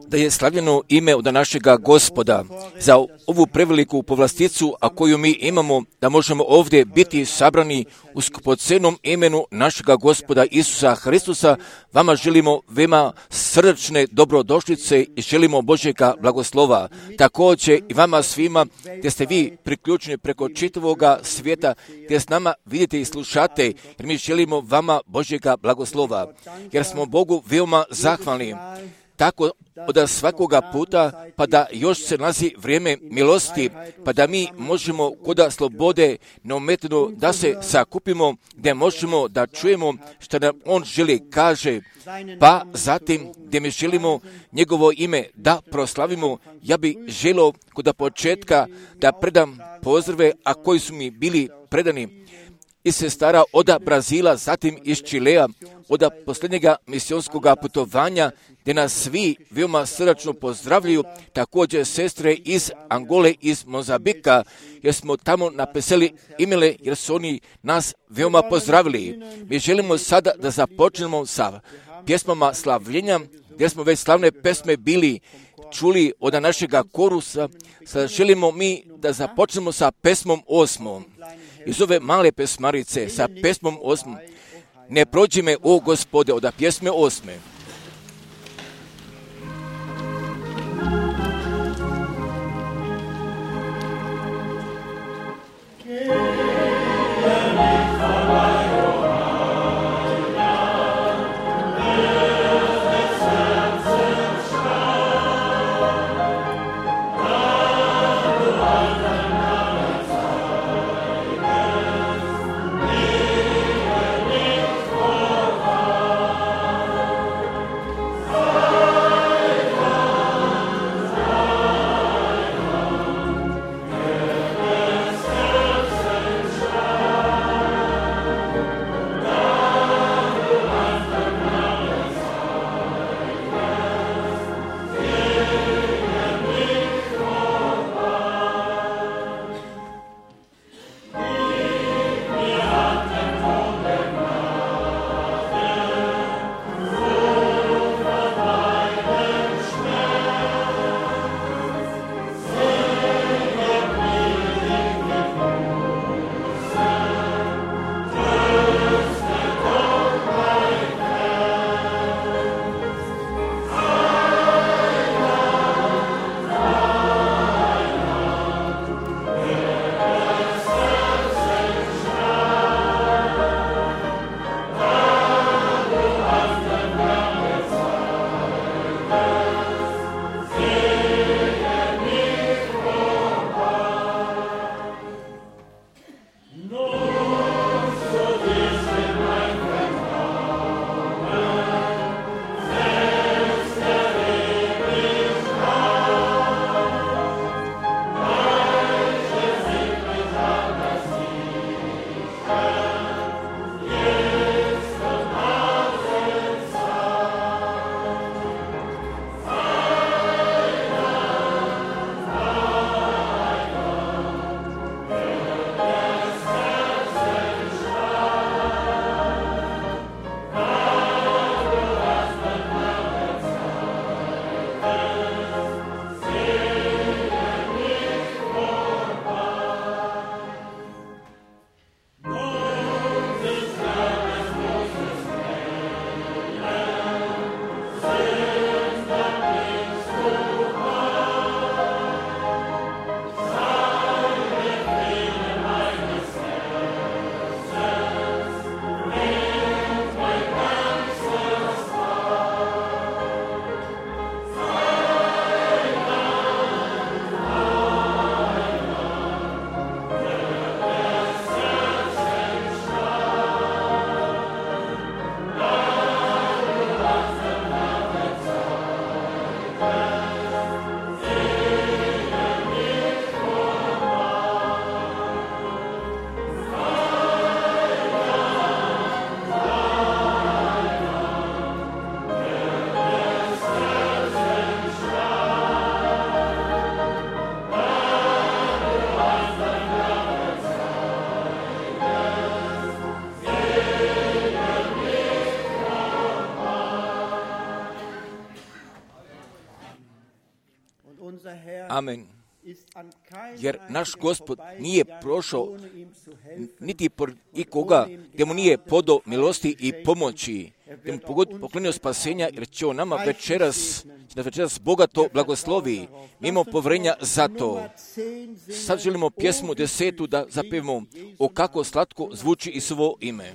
Da je slavljeno ime od našega Gospoda za ovu preveliku povlasticu, a koju mi imamo, da možemo ovdje biti sabrani u skupocenom imenu našega Gospoda Isusa Hristusa. Vama želimo veoma srdačne dobrodošlice i želimo Božjega blagoslova. Također i vama svima gdje ste vi priključeni preko čitavoga svijeta, gdje s nama vidite i slušate, jer mi želimo vama Božjega blagoslova, jer smo Bogu veoma zahvalni. Tako od svakoga puta, pa da još se nalazi vrijeme milosti, pa da mi možemo kod slobode neometano da se sakupimo, gdje možemo da čujemo što nam On želi kaže, pa zatim gdje mi želimo njegovo ime da proslavimo. Ja bi želio kod početka da predam pozdrave, a koji su mi bili predani iz sestara od Brazila, zatim iz Čilea, od posljednjega misionskog putovanja, gdje nas svi veoma srdačno pozdravljaju, također sestre iz Angole, iz Mozambika, jer smo tamo napisali imele, jer su oni nas veoma pozdravili. Mi želimo sada da započnemo sa pjesmama slavljenja, gdje smo već slavne pesme bili čuli od našega korusa. Sada želimo mi da započnemo sa pesmom 8. Iz ove male pesmarice, sa pesmom 8. Ne prođi me, o Gospode, od pjesme 8. Amen. Jer naš Gospod nije prošao niti por ikoga gdje mu nije podao milosti i pomoći, gdje mu poklonio spasenja, jer će on nama večeras bogato blagoslovi. Mi imamo povjerenja za to. Sad želimo pjesmu 10. da zapevamo o kako slatko zvuči i svo ime.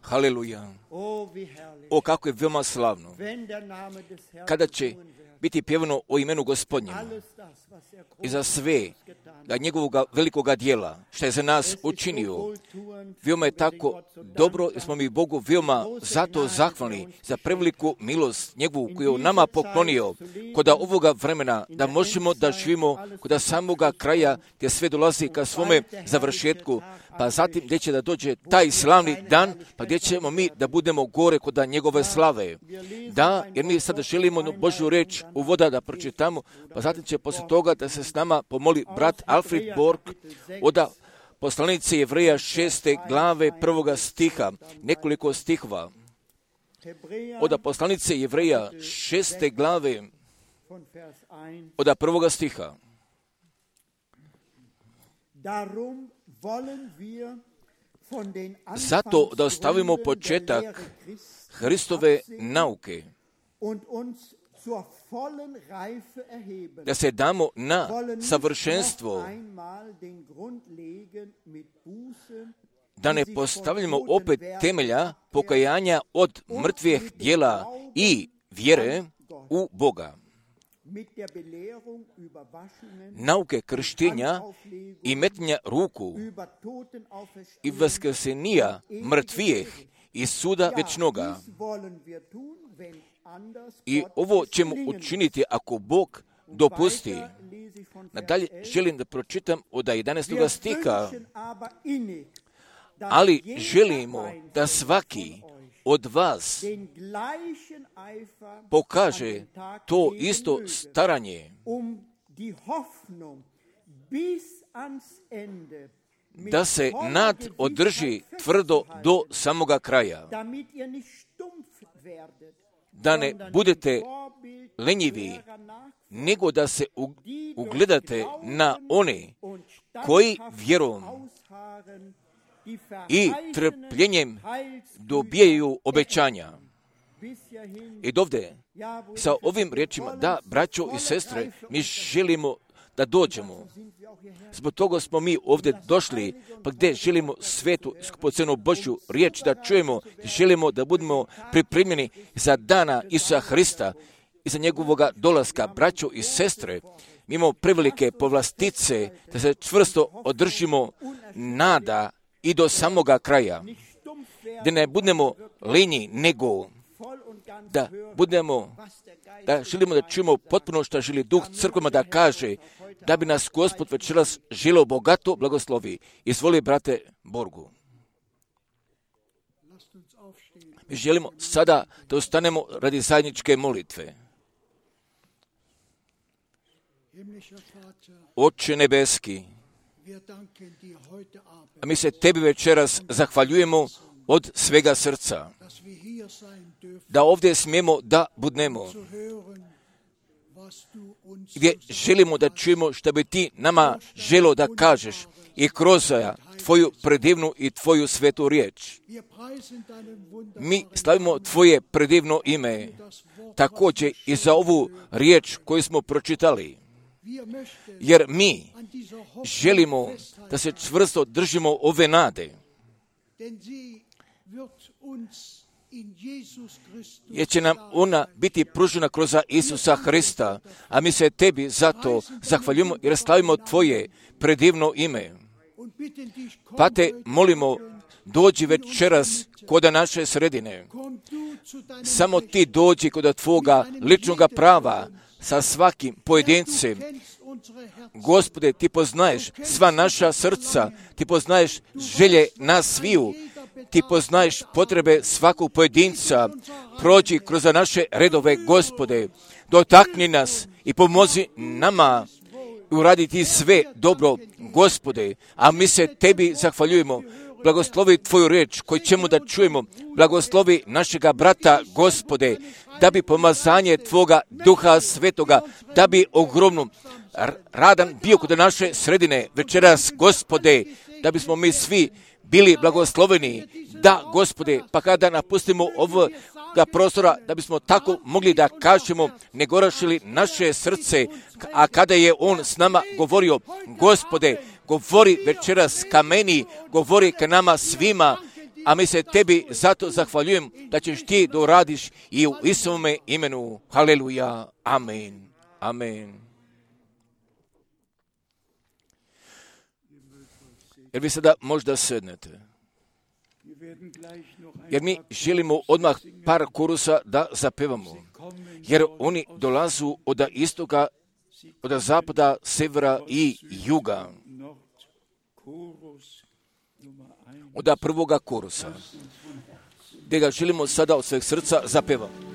Haleluja. O, kako je veoma slavno kada će biti pjevano o imenu Gospodnjemu i za sve da njegovog velikoga dijela što je za nas učinio. Veoma je tako dobro jer smo mi Bogu veoma zato zahvalni za preveliku milost njegovu koju je nama poklonio kod ovoga vremena da možemo da živimo kod samoga kraja gdje sve dolazi ka svome završetku, pa zatim gdje će da dođe taj slavni dan, pa gdje ćemo mi da budemo gore kod njegove slave. Da, jer mi sada želimo Božju reč uvoda da pročitamo, pa zatim će poslije toga da se s nama pomoli brat Alfred Borg od poslanice Jevreja 6. glave 1. stiha, nekoliko stihova. Od poslanice Jevreja 6. glave od 1. stiha. Zato da ostavimo početak Hristove nauke, da se damo na savršenstvo, da ne postavljamo opet temelja pokajanja od mrtvih djela i vjere u Boga. Nauke krštenja i metnja ruku i vaskrsenija mrtvijih i suda vječnoga. I ovo ćemo učiniti ako Bog dopusti. Nadalje želim da pročitam od 11. stiha. Ali želimo da svaki od vas pokaže to isto staranje, da se nad održi tvrdo do samoga kraja, da ne budete lenjivi, nego da se ugledate na one koji vjerom i trpljenjem dobijaju obećanja. I dovde, sa ovim riječima, da, braćo i sestre, mi želimo da dođemo. Zbog toga smo mi ovdje došli, pa gdje želimo svetu, skupocenu Božju riječ da čujemo, želimo da budemo pripremljeni za dana Isusa Hrista i za njegovoga dolaska. Braćo i sestre, mi imamo prevelike povlastice da se čvrsto održimo nada i do samoga kraja, da ne budemo lenji, nego da želimo da čujemo potpuno što želi Duh crkvama da kaže, da bi nas Gospod večeras želio bogato blagoslovi. Izvoli, brate Borgu. Mi želimo sada da ustanemo radi zajedničke molitve. Oče nebeski, a mi se tebi večeras zahvaljujemo od svega srca, da ovdje smijemo da budnemo, gdje želimo da čujemo što bi ti nama želio da kažeš i kroz tvoju predivnu i tvoju svetu riječ. Mi slavimo tvoje predivno ime, također i za ovu riječ koju smo pročitali, jer mi želimo da se čvrsto držimo ove nade, jer će nam ona biti pružena kroz Isusa Hrista, a mi se tebi zato zahvaljujemo jer slavimo tvoje predivno ime. Pa te molimo, dođi večeras kod naše sredine. Samo ti dođi kod tvoga ličnoga prava sa svakim pojedincem. Gospode, ti poznaješ sva naša srca, ti poznaješ želje nas sviju, ti poznaješ potrebe svakog pojedinca. Prođi kroz naše redove, Gospode, dotakni nas i pomozi nama uraditi sve dobro, Gospode, a mi se tebi zahvaljujemo. Blagoslovi tvoju riječ koju ćemo da čujemo, blagoslovi našega brata, Gospode, da bi pomazanje tvoga Duha Svetoga, da bi ogromno radan bio kod naše sredine večeras, Gospode, da bismo mi svi bili blagosloveni, da, Gospode, pa kada napustimo ovoga prostora, da bismo tako mogli da kažemo, ne gorašili naše srce, a kada je on s nama govorio, Gospode, govori večeras ka meni, govori ka nama svima, a mi se tebi zato zahvaljujem da ćeš ti da uradiš i u Isusovome imenu. Haleluja. Amen. Amen. Jer vi sada možda sednete. Jer mi želimo odmah par korusa da zapevamo. Jer oni dolazu od istoka, od zapada, severa i juga. Od prvoga korusa. Gdje ga želimo sada od sveg srca zapevamo.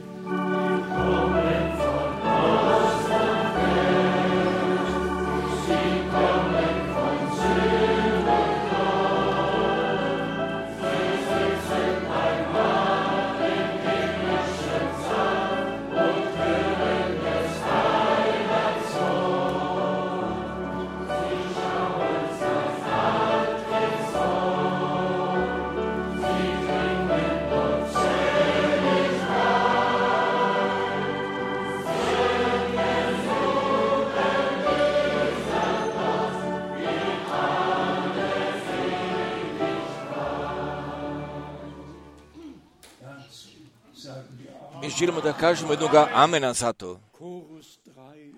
Mi želimo da kažemo jednoga amena za to.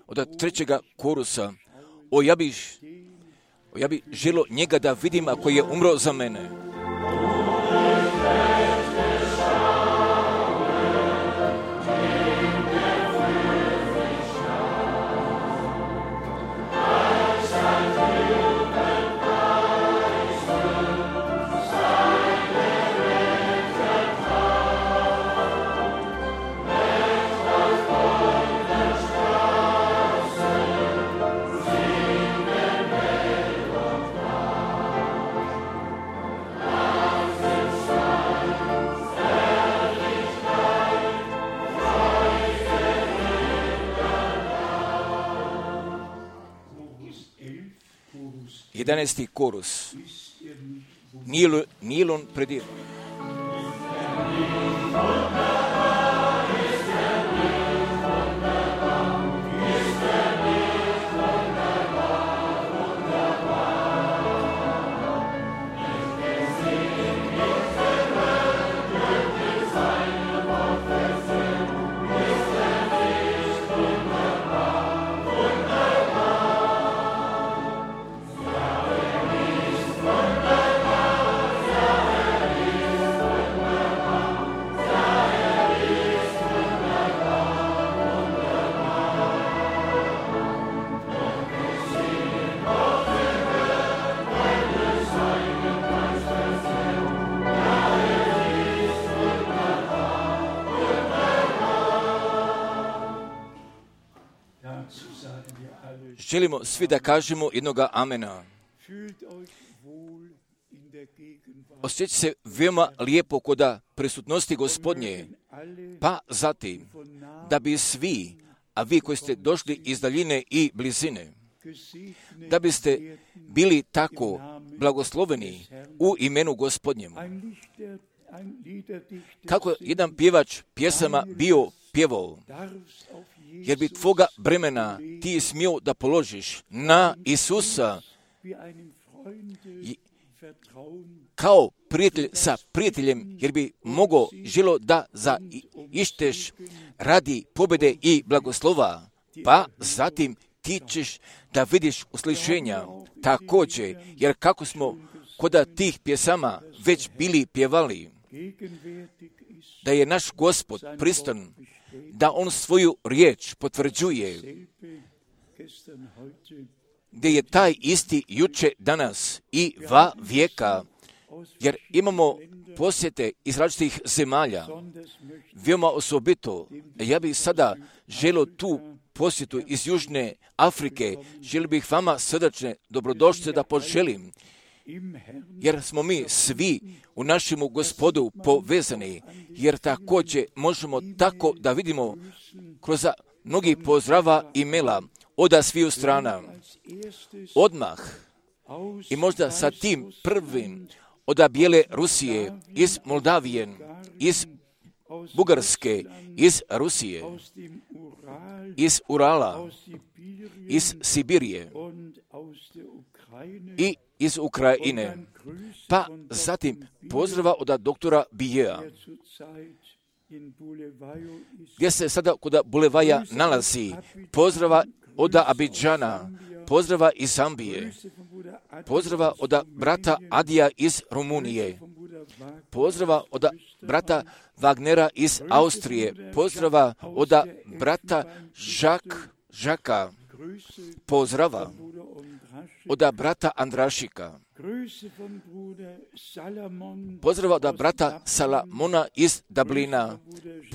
Od trećega korusa. Ja bi želio njega da vidim ako je umro za mene. 11. korus. Nilon predir. Želimo svi da kažemo jednoga amena. Osjeća se veoma lijepo kod prisutnosti Gospodnje, pa zatim da bi svi, a vi koji ste došli iz daljine i blizine, da biste bili tako blagosloveni u imenu Gospodnjemu. Kako jedan pjevač pjesama bio pjevao, jer bi tvoga bremena ti smio da položiš na Isusa kao prijatelj sa prijateljem, jer bi mogao želo da zaišteš radi pobjede i blagoslova, pa zatim ti ćeš da vidiš uslišenja također, jer kako smo kod tih pjesama već bili pjevali, da je naš Gospod pristan, da on svoju riječ potvrđuje, gdje je taj isti juče, danas i va vijeka, jer imamo posjete iz različitih zemalja, veoma osobito. Ja bih sada želio tu posjetu iz Južne Afrike, želio bih vama srdačne dobrodošlice da poželim, jer smo mi svi u našemu Gospodu povezani, jer također možemo tako da vidimo kroz mnogi pozdrava i maila od sviju strana. Odmah i možda sa tim prvim od Bijele Rusije, iz Moldavije, iz Bugarske, iz Rusije, iz Urala, iz Sibirije i iz Ukrajine, pa zatim pozdrava od doktora Bijeja, gdje se sada kod Bulevaja nalazi, pozdrava od Abidžana, pozdrava iz Zambije, pozdrava od brata Adija iz Rumunije, pozdrava od brata Wagnera iz Austrije, pozdrava od brata Žaka, pozdrava od brata Andrašika, pozdrava od brata Salamona iz Dublina,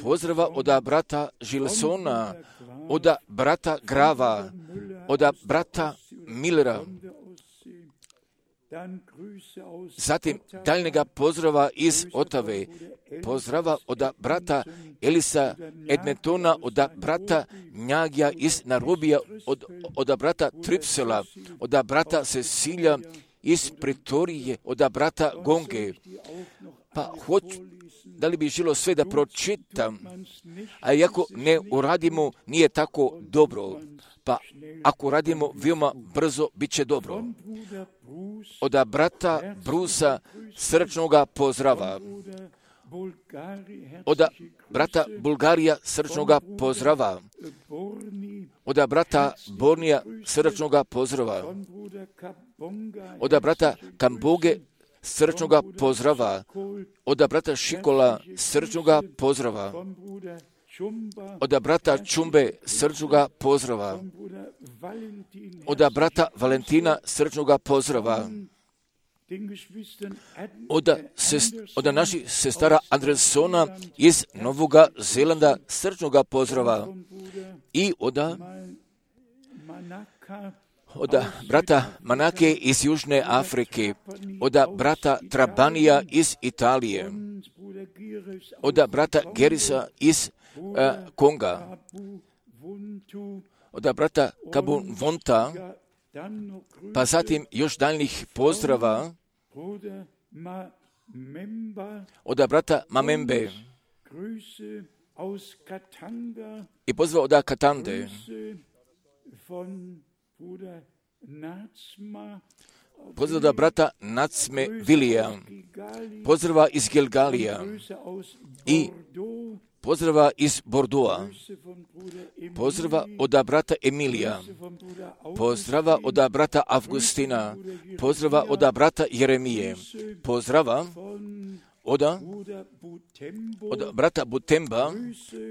pozdrava od brata Žilsona, od brata Grava, od brata Millera, zatim daljnjega pozdrava iz Otave, pozdrava od brata Elisa Edmentona, od brata Njagija iz Narobija, od brata Tripsela, od brata Cecilija iz Pretorije, od brata Gonge. Pa da li bi želo sve da pročitam, a iako ne uradimo, nije tako dobro. Pa ako radimo veoma brzo, bit će dobro. Od brata Brusa srčnoga pozdrava. Od brata Bulgarija srčnoga pozdrava. Od brata Bornija srčnoga pozdrava. Od brata Kamboge srčnoga pozdrava. Od brata Šikola srčnoga pozdrava. Od brata Čumbe srčnoga pozdrava. Od brata Valentina srčnoga pozdrava. Od naših sestara Andresona iz Novoga Zelanda srčnoga pozdrava. I od brata Manake iz Južne Afrike, od brata Trabanija iz Italije, od brata Gerisa iz Konga, od brata Kabun Vonta pa zatim još daljnjih pozdrava od brata Mamembe i pozdrava od Katande, pozdrava od brata Nacme Vilija, pozdrava iz Gilgalija i pozdrava iz Bordeauxa, pozdrava od brata Emilija, pozdrava od brata Avgustina, pozdrava od brata Jeremije, pozdrava od brata Butemba,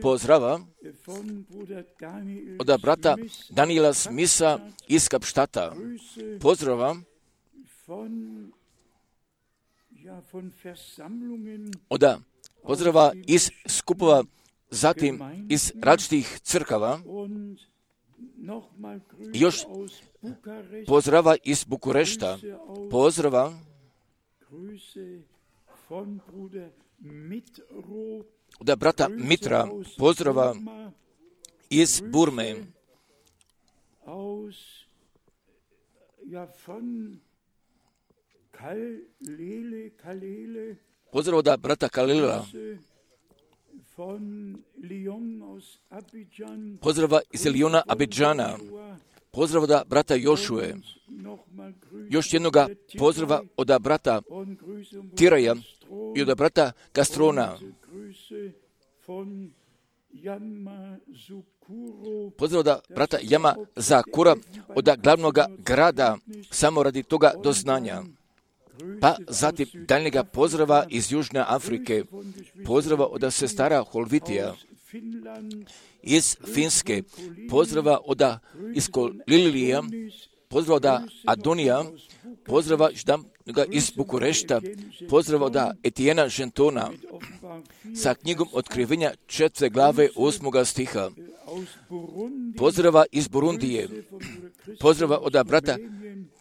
pozdrava od brata Daniela Smitha iz Kapštata, pozdrava pozdrava iz skupova, zatim iz različitih crkava, još pozdrava iz Bukurešta, pozdrava od brata Mitra, pozdrava iz Burme, pozdrav od brata Kalila, pozdrava iz Liona Abidžana, pozdrav od brata Jošue, još jednoga pozdrava od brata Tiraja i od brata Gastrona, pozdrav od brata Jama Zakura, od glavnog grada, samo radi toga doznanja. Pa zatim daljnjega pozdrava iz Južne Afrike, pozdrava od sestara Holvitija, iz Finske, pozdrava od Lilija, pozdrava od Adonija, pozdrava iz Bukurešta, pozdrava od Etijena Žentona, sa knjigom Otkrivenja 4. glave 8. stiha, pozdrava iz Burundije, pozdrava od brata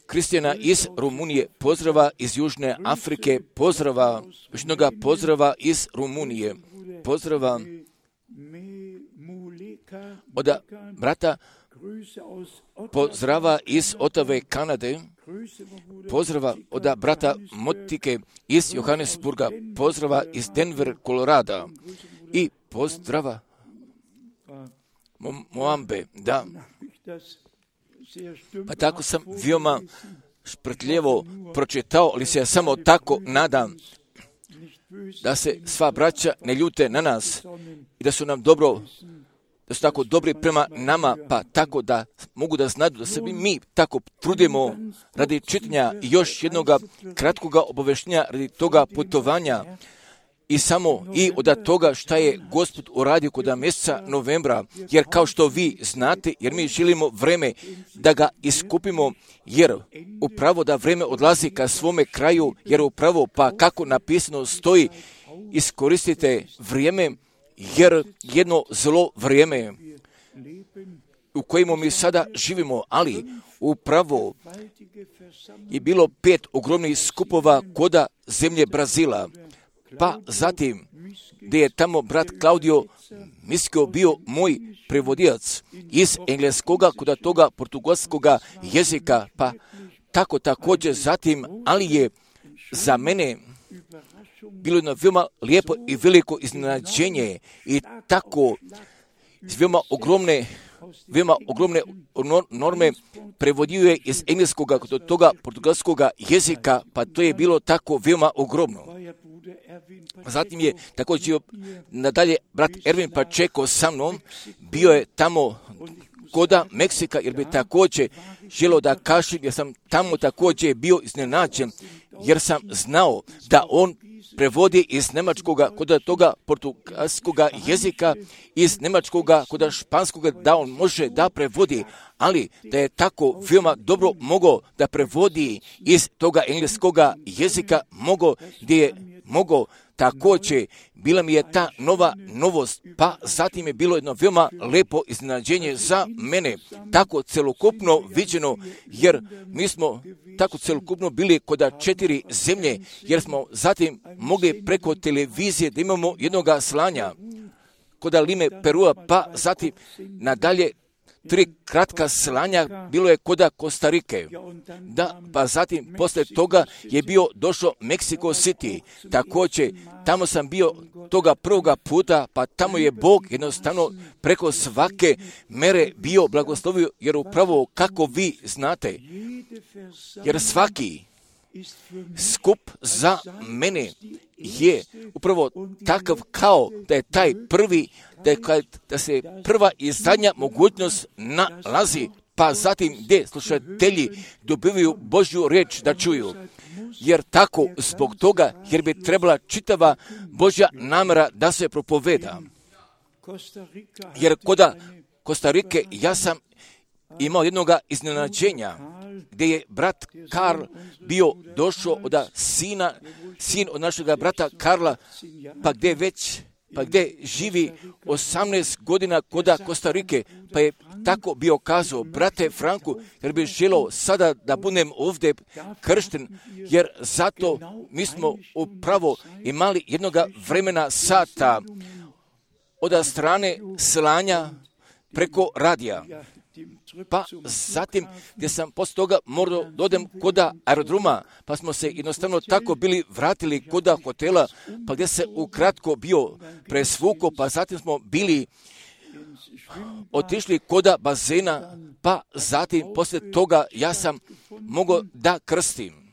Kristijana iz Rumunije, pozdrava iz Južne Afrike, pozdrava iz Rumunije, pozdrava od brata, pozdrava iz Otave, Kanade, pozdrava od brata Motike iz Johannesburga, pozdrava iz Denver, Kolorada i pozdrava Moambe, da. Pa tako sam veoma šprtljivo pročitao, ali se ja samo tako nadam da se sva braća ne ljute na nas i da su nam da su tako dobri prema nama, pa tako da mogu da znaju da se mi tako trudimo radi čitanja i još jednog kratkog obaveštenja radi toga putovanja i samo i od toga šta je Gospod uradio kod mjeseca novembra, jer kao što vi znate, jer mi želimo vreme da ga iskupimo, jer upravo da vreme odlazi ka svome kraju, jer upravo pa kako napisano stoji, iskoristite vrijeme, jer jedno zlo vrijeme u kojemu mi sada živimo, ali upravo je bilo 5 ogromnih skupova koda zemlje Brazila, pa zatim gdje je tamo brat Claudio Miskio bio moj prevodilac iz engleskoga kod toga portugalskoga jezika, pa tako također zatim, ali je za mene bilo jedno veoma lijepo i veliko iznenađenje i tako veoma ogromne norme prevodio je iz engleskoga kod toga portugalskoga jezika, pa to je bilo tako veoma ogromno. Zatim je također nadalje brat Ervin Pačeko sa mnom, bio je tamo koda Meksika, jer bi također želio da kažem, jer sam tamo također bio iznenađen, jer sam znao da on prevodi iz njemačkoga kod toga portugalskoga jezika, iz njemačkoga kod španskoga, da on može da prevodi, ali da je tako veoma dobro mogao da prevodi iz toga engleskoga jezika, gdje je mogao također, bila mi je ta novost, pa zatim je bilo jedno veoma lepo iznenađenje za mene, tako celokupno viđeno, jer mi smo tako celokupno bili kod 4 zemlje, jer smo zatim mogli preko televizije da imamo jednoga slanja kod Lime Perua, pa zatim nadalje 3 kratka slanja bilo je koda Kostarike. Da, pa zatim poslije toga je bio došao Mexico City. Također, tamo sam bio toga prvoga puta, pa tamo je Bog jednostavno preko svake mere bio blagoslovio, jer upravo kako vi znate, jer svaki skup za mene je upravo takav kao da je taj prvi, da se prva i zadnja mogućnost nalazi, pa zatim gdje slušatelji dobivaju Božju riječ da čuju. Jer tako, zbog toga, jer bi trebala čitava Božja namjera da se propoveda. Jer koda Kostarike ja sam imao jednog iznenađenja, gdje je brat Karl bio došao od sin od našega brata Karla, pa gdje živi 18 godina koda Kostarike, pa je tako bio kazao, brate Franku, jer bi želio sada da budem ovdje kršten, jer zato mi smo upravo imali jednoga vremena sata od strane slanja preko radija. Pa zatim, gdje sam poslije toga morao dodem koda aerodroma, pa smo se jednostavno tako bili vratili koda hotela, pa gdje se ukratko bio presvuko, pa zatim smo bili otišli koda bazena, pa zatim poslije toga ja sam mogao da krstim.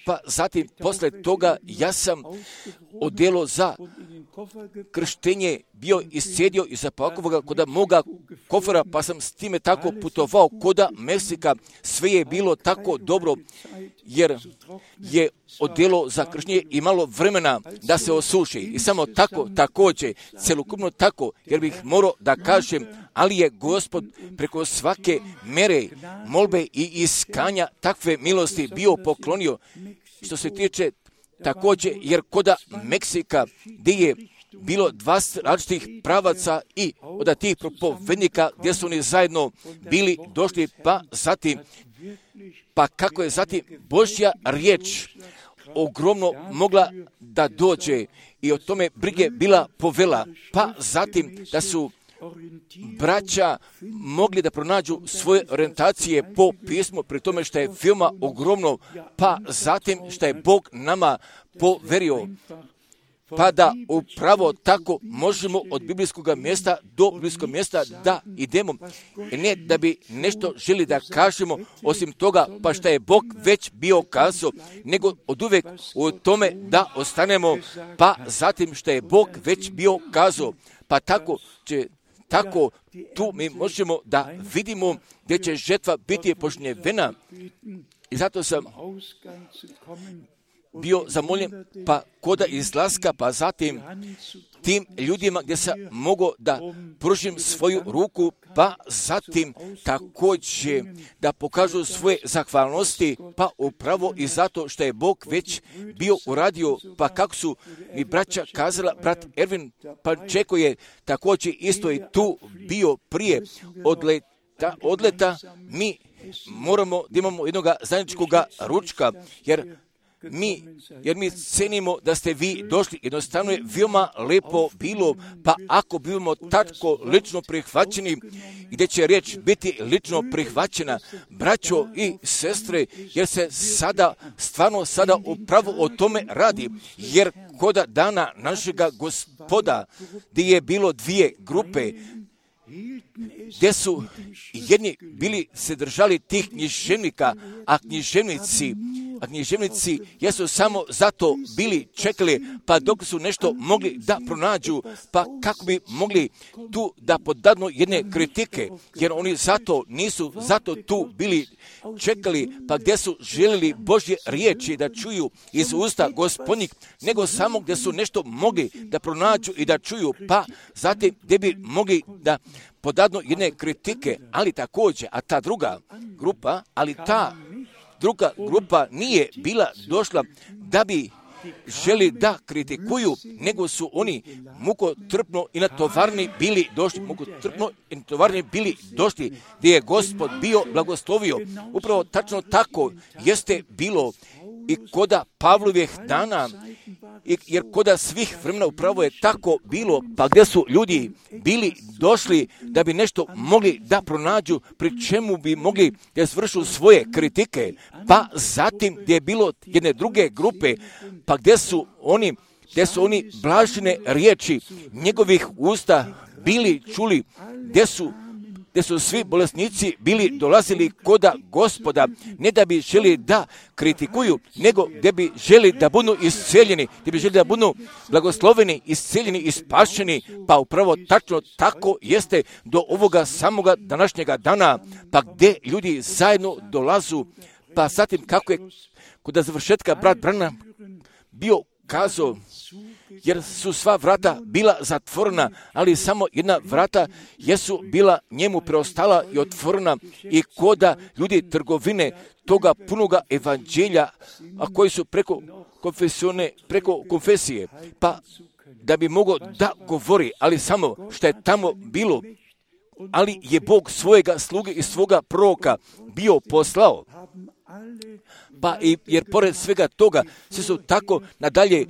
Pa zatim poslije toga ja sam odjelo za krštenje bio iscijedio i zapakovao koda moga kofera, pa sam s time tako putovao koda Meksika. Sve je bilo tako dobro, jer je odjelo za krštenje imalo vremena da se osuši. I samo tako, također, celokupno tako, jer bih morao da kažem, ali je Gospod preko svake mere, molbe i iskanja takve milosti bio poklonio. Što se tiče također, jer koda Meksika, gdje je bilo 2 različitih pravaca i od tih propovednika gdje su oni zajedno bili došli, pa kako je zatim Božja riječ ogromno mogla da dođe i o tome brige bila povela, pa zatim da su braća mogli da pronađu svoje orijentacije po pismu, pri tome što je veoma ogromno, pa zatim što je Bog nama poverio, pa da upravo tako možemo od biblijskog mjesta do biblijskog mjesta da idemo. Ne da bi nešto želi da kažemo osim toga, pa što je Bog već bio kazao, nego od uvijek u tome da ostanemo, pa zatim što je Bog već bio kazao, pa tako tu mi možemo da vidimo gdje će žetva biti požnjevena. I zato sam bio zamoljen, pa koda izlaska, pa zatim tim ljudima gdje sam mogao da pružim svoju ruku, pa zatim također da pokažu svoje zahvalnosti, pa upravo i zato što je Bog već bio uradio, pa kako su mi braća kazala, brat Ervin Pančeko je također isto i tu bio prije odleta, mi moramo da imamo jednog zajedničkog ručka, jer mi cenimo da ste vi došli. Jednostavno je veoma lepo bilo, pa ako bivamo tako lično prihvaćeni, gdje će riječ biti lično prihvaćena, braćo i sestre, jer se stvarno sada upravo o tome radi, jer koda dana našega Gospoda, gdje je bilo 2 grupe, gdje su jedni bili se držali tih književnika, a književnici jesu samo zato bili čekali, pa dok su nešto mogli da pronađu, pa kako bi mogli tu da podadnu jedne kritike, jer oni nisu zato tu bili čekali, pa gdje su željeli Božje riječi da čuju iz usta Gospodnjih, nego samo gdje su nešto mogli da pronađu i da čuju, pa zatim gdje bi mogli da podadnu jedne kritike, ali također, a ta druga grupa nije bila došla da bi želi da kritikuju, nego su oni mukotrpno i natovarni bili došli, gdje je Gospod bio blagoslovio. Upravo tačno tako jeste bilo i koda Pavlovih dana, jer koda svih vremena upravo je tako bilo, pa gdje su ljudi bili došli da bi nešto mogli da pronađu, pri čemu bi mogli da izvršu svoje kritike, pa zatim gdje je bilo jedne druge grupe, pa gdje su oni blažene riječi njegovih usta bili čuli, gdje su svi bolesnici bili dolazili koda Gospoda, ne da bi želi da kritikuju, nego gdje bi želi da budu isceljeni, gdje bi želi da budu blagosloveni, isceljeni i spašeni, pa upravo tačno tako jeste do ovoga samoga današnjega dana, pa gdje ljudi zajedno dolazu, pa zatim kako je kod završetka brat Branham bio kazao, jer su sva vrata bila zatvorena, ali samo jedna vrata jesu bila njemu preostala i otvorena, i koda ljudi trgovine toga punoga evanđelja, a koji su preko konfesije, pa da bi mogao da govori, ali samo što je tamo bilo, ali je Bog svojega sluge i svoga proroka bio poslao. Pa jer pored svega toga svi su tako nadalje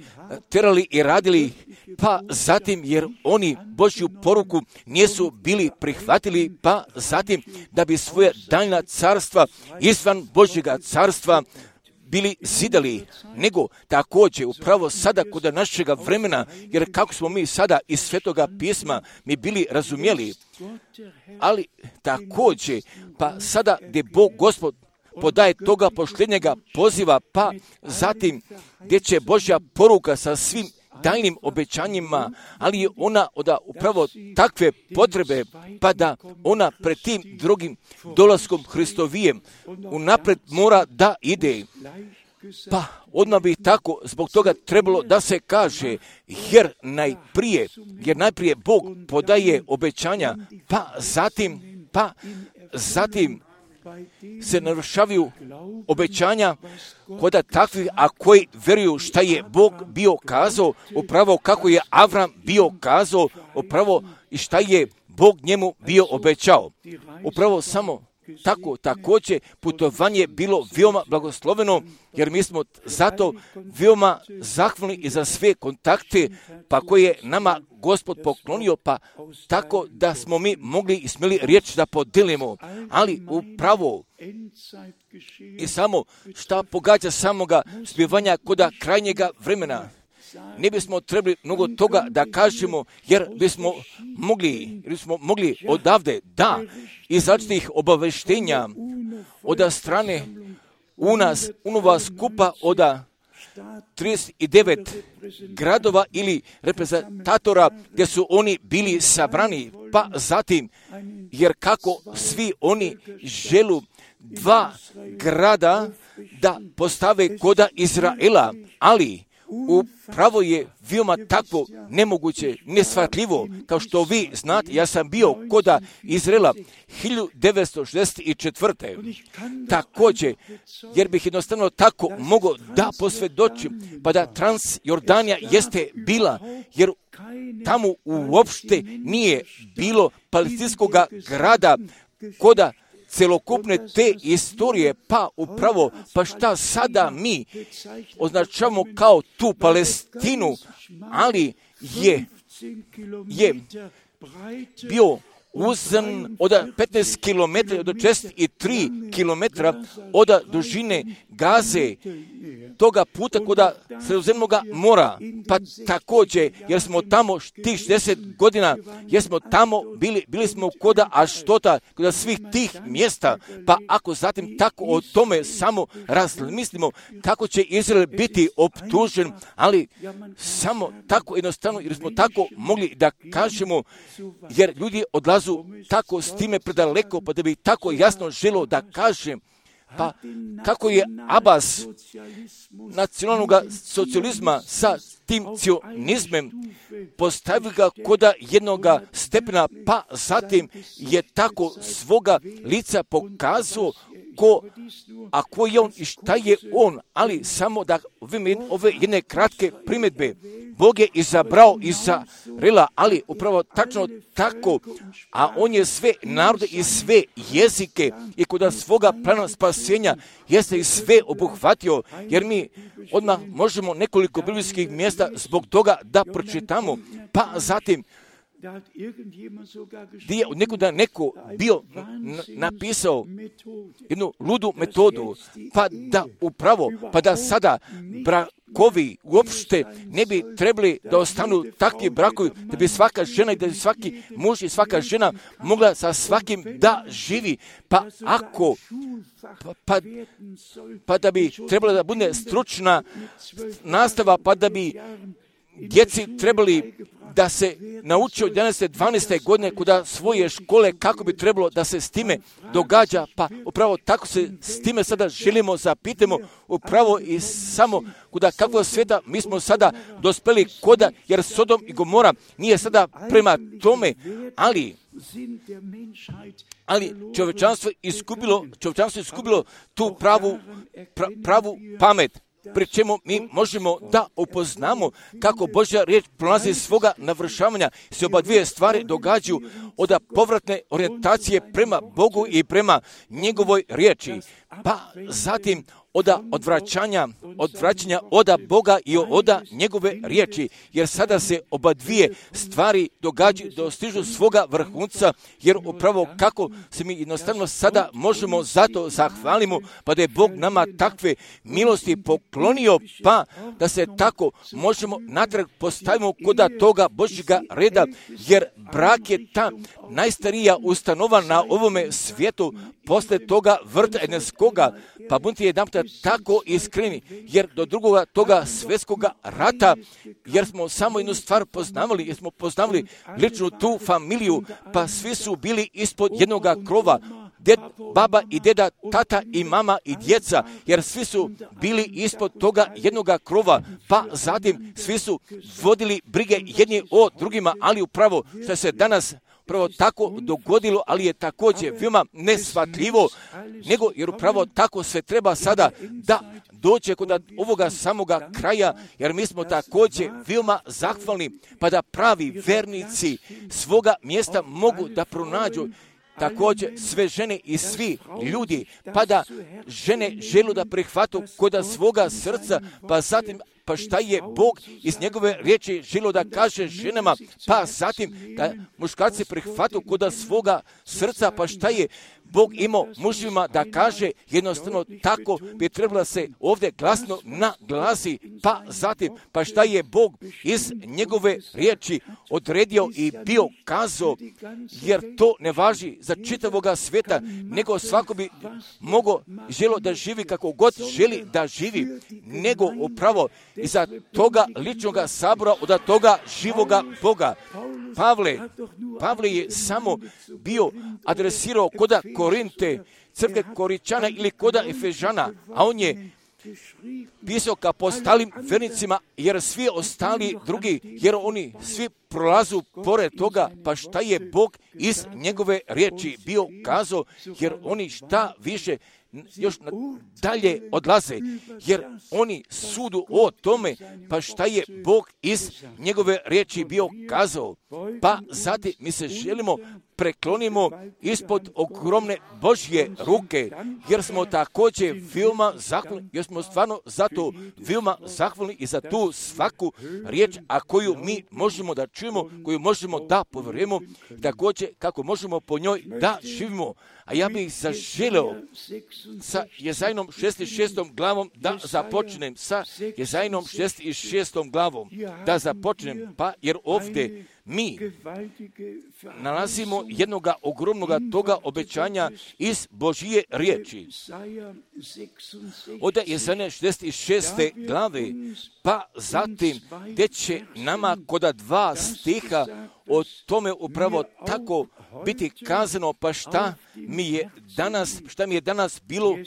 terali i radili, pa zatim jer oni Božju poruku nisu bili prihvatili, pa zatim da bi svoje daljna carstva izvan Božjega carstva bili zidali, nego također upravo sada kod našega vremena, jer kako smo mi sada iz Svetoga pisma mi bili razumjeli, ali također pa sada gdje Bog Gospod podaje toga posljednjega poziva, pa zatim gdje će Božja poruka sa svim daljnim obećanjima, ali je ona upravo takve potrebe, pa da ona pred tim drugim dolaskom Hristovijem unaprijed mora da ide. Pa odmah bi tako zbog toga trebalo da se kaže, jer najprije Bog podaje obećanja, pa zatim se navršavaju obećanja kod takvih, a koji vjeruju šta je Bog bio kazao, upravo kako je Avram bio kazao, upravo i šta je Bog njemu bio obećao. Upravo samo tako također putovanje bilo veoma blagosloveno, jer mi smo zato veoma zahvalni i za sve kontakte pa koje je nama Gospod poklonio, pa tako da smo mi mogli i smjeli riječ da podelimo, ali upravo i samo šta pogađa samoga zbivanja koda krajnjega vremena. Ne bismo trebali mnogo toga da kažemo, jer bismo mogli odavde iz različitih obaveštenja od strane unova skupa od 39 gradova ili reprezentatora gdje su oni bili sabrani, pa zatim, jer kako svi oni želu 2 grada da postave koda Izraela, ali upravo je veoma takvo nemoguće, neshvatljivo, kao što vi znate, ja sam bio koda Izraela 1964. Također, jer bih jednostavno tako mogao da posvjedočim, pa da Transjordanija jeste bila, jer tamo uopšte nije bilo palestinskog grada koda celokupne te istorije, pa upravo, pa šta sada mi označavamo kao tu Palestinu, ali je bio uzan od 15 km do 63 km od dužine Gaze, toga puta kod Sredozemnog mora, pa također, jer smo tamo tih 60 godina, jer smo tamo bili smo koda Aštota, koda svih tih mjesta, pa ako zatim tako o tome samo razmislimo, kako će Izrael biti optužen, ali samo tako jednostavno, jer smo tako mogli da kažemo, jer ljudi odlazu tako s time predaleko, pa da bi tako jasno želio da kažem, pa kako je Abbas nacionalnog socijalizma sa tim cionizmem postavio ga koda jednog stepena, pa zatim je tako svoga lica pokazao a ko je on i šta je on, ali samo da ove jedne kratke primjedbe Bog je izabrao Izraela, ali upravo tačno tako, a on je sve narode i sve jezike i kod svoga plana spasenja jeste i sve obuhvatio, jer mi odmah možemo nekoliko biblijskih mjesta zbog toga da pročitamo, pa zatim gdje je od nekuda neko bio napisao jednu ludu metodu, pa da sada brakovi uopšte ne bi trebali da ostanu takvi brakovi, da bi svaka žena i da bi svaki muž i svaka žena mogla sa svakim da živi, pa da bi trebala da bude stručna nastava, pa da bi djeci trebali da se nauči od 11. 12. godine kod svoje škole kako bi trebalo da se s time događa, pa upravo tako se s time sada želimo zapitamo upravo i samo kuda kakvog sveta mi smo sada dospeli koda, jer Sodom i Gomora nije sada prema tome, ali čovječanstvo izgubilo tu pravu pamet. Pri čemu mi možemo da upoznamo kako Božja riječ prolazi svoga navršavanja, se oba dvije stvari događaju od povratne orijentacije prema Bogu i prema njegovoj riječi, pa zatim od odvraćanja oda Boga i oda njegove riječi, jer sada se oba dvije stvari događaju, dostižu svoga vrhunca, jer upravo kako se mi jednostavno sada možemo zato zahvalimo, pa da je Bog nama takve milosti poklonio, pa da se tako možemo natrag postavimo kod toga Božjega reda, jer brak je ta najstarija ustanova na ovome svijetu, posle toga vrta Edenskoga, pa budite jedanputa tako iskreni, jer do drugoga toga svjetskoga rata, jer smo samo jednu stvar poznavali, jer smo poznavali ličnu tu familiju, pa svi su bili ispod jednoga krova, baba i deda, tata i mama i djeca, jer svi su bili ispod toga jednoga krova, pa zatim svi su vodili brige jedni o drugima, ali upravo što se danas upravo tako dogodilo, ali je također veoma neshvatljivo, nego jer upravo tako sve treba sada da dođe kod ovoga samoga kraja, jer mi smo također veoma zahvalni, pa da pravi vernici svoga mjesta mogu da pronađu također sve žene i svi ljudi, pa da žene želu da prihvatu kod svoga srca, pa zatim pa šta je Bog iz njegove riječi želio da kaže ženama, pa zatim da muškarci prihvatu kod svoga srca, pa šta je Bog imao mužima da kaže, jednostavno tako bi trebalo se ovdje glasno naglasi, pa zatim pa šta je Bog iz njegove riječi odredio i bio kazao, jer to ne važi za čitavoga svijeta, nego svako bi mogao želio da živi kako god želi da živi, nego upravo iza toga ličnoga sabora od toga živoga Boga. Pavle je samo bio adresirao koda Korinte, crkve Koričana ili koda Efežana, a on je pisao ka ostalim vernicima, jer svi ostali drugi, jer oni svi prolazu pored toga, pa šta je Bog iz njegove riječi bio kazao, jer oni šta više još dalje odlaze, jer oni sudu o tome, pa šta je Bog iz njegove riječi bio kazao. Pa zatim mi se želimo preklonimo ispod ogromne Božje ruke, jer smo također veoma zahvalni, jer smo stvarno zato veoma zahvalni i za tu svaku riječ, a koju mi možemo da čujemo, koju možemo da povjerujemo, također kako možemo po njoj da živimo. A ja bih zaželeo sa Jezajnom 66. glavom da započnem, sa Jezajnom 66. glavom da započnem, pa jer ovdje mi nalazimo jednoga ogromnoga toga obećanja iz Božije riječi. Od Jezajne 66. glave, pa zatim gdje će nama koda 2 stiha o tome upravo tako biti kazano, pa šta mi je danas bilo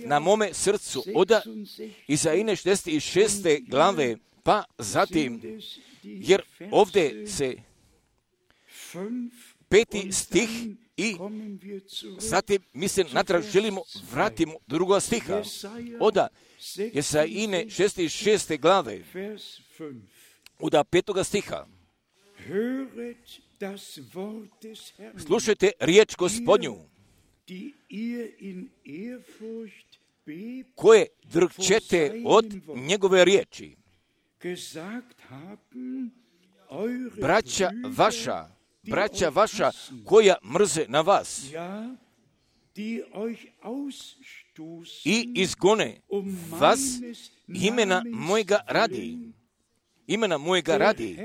na mome srcu. Od Jezajne 66. glave, pa zatim, jer ovdje se 5. stih i zatim mi se natrag želimo vratimo do 2. stiha. Od Jezajine 66. glave, od 5. stiha. Slušajte riječ Gospodnju, koje drhčete od njegove riječi. Braća vaša koja mrze na vas i izgone vas imena mojega radi,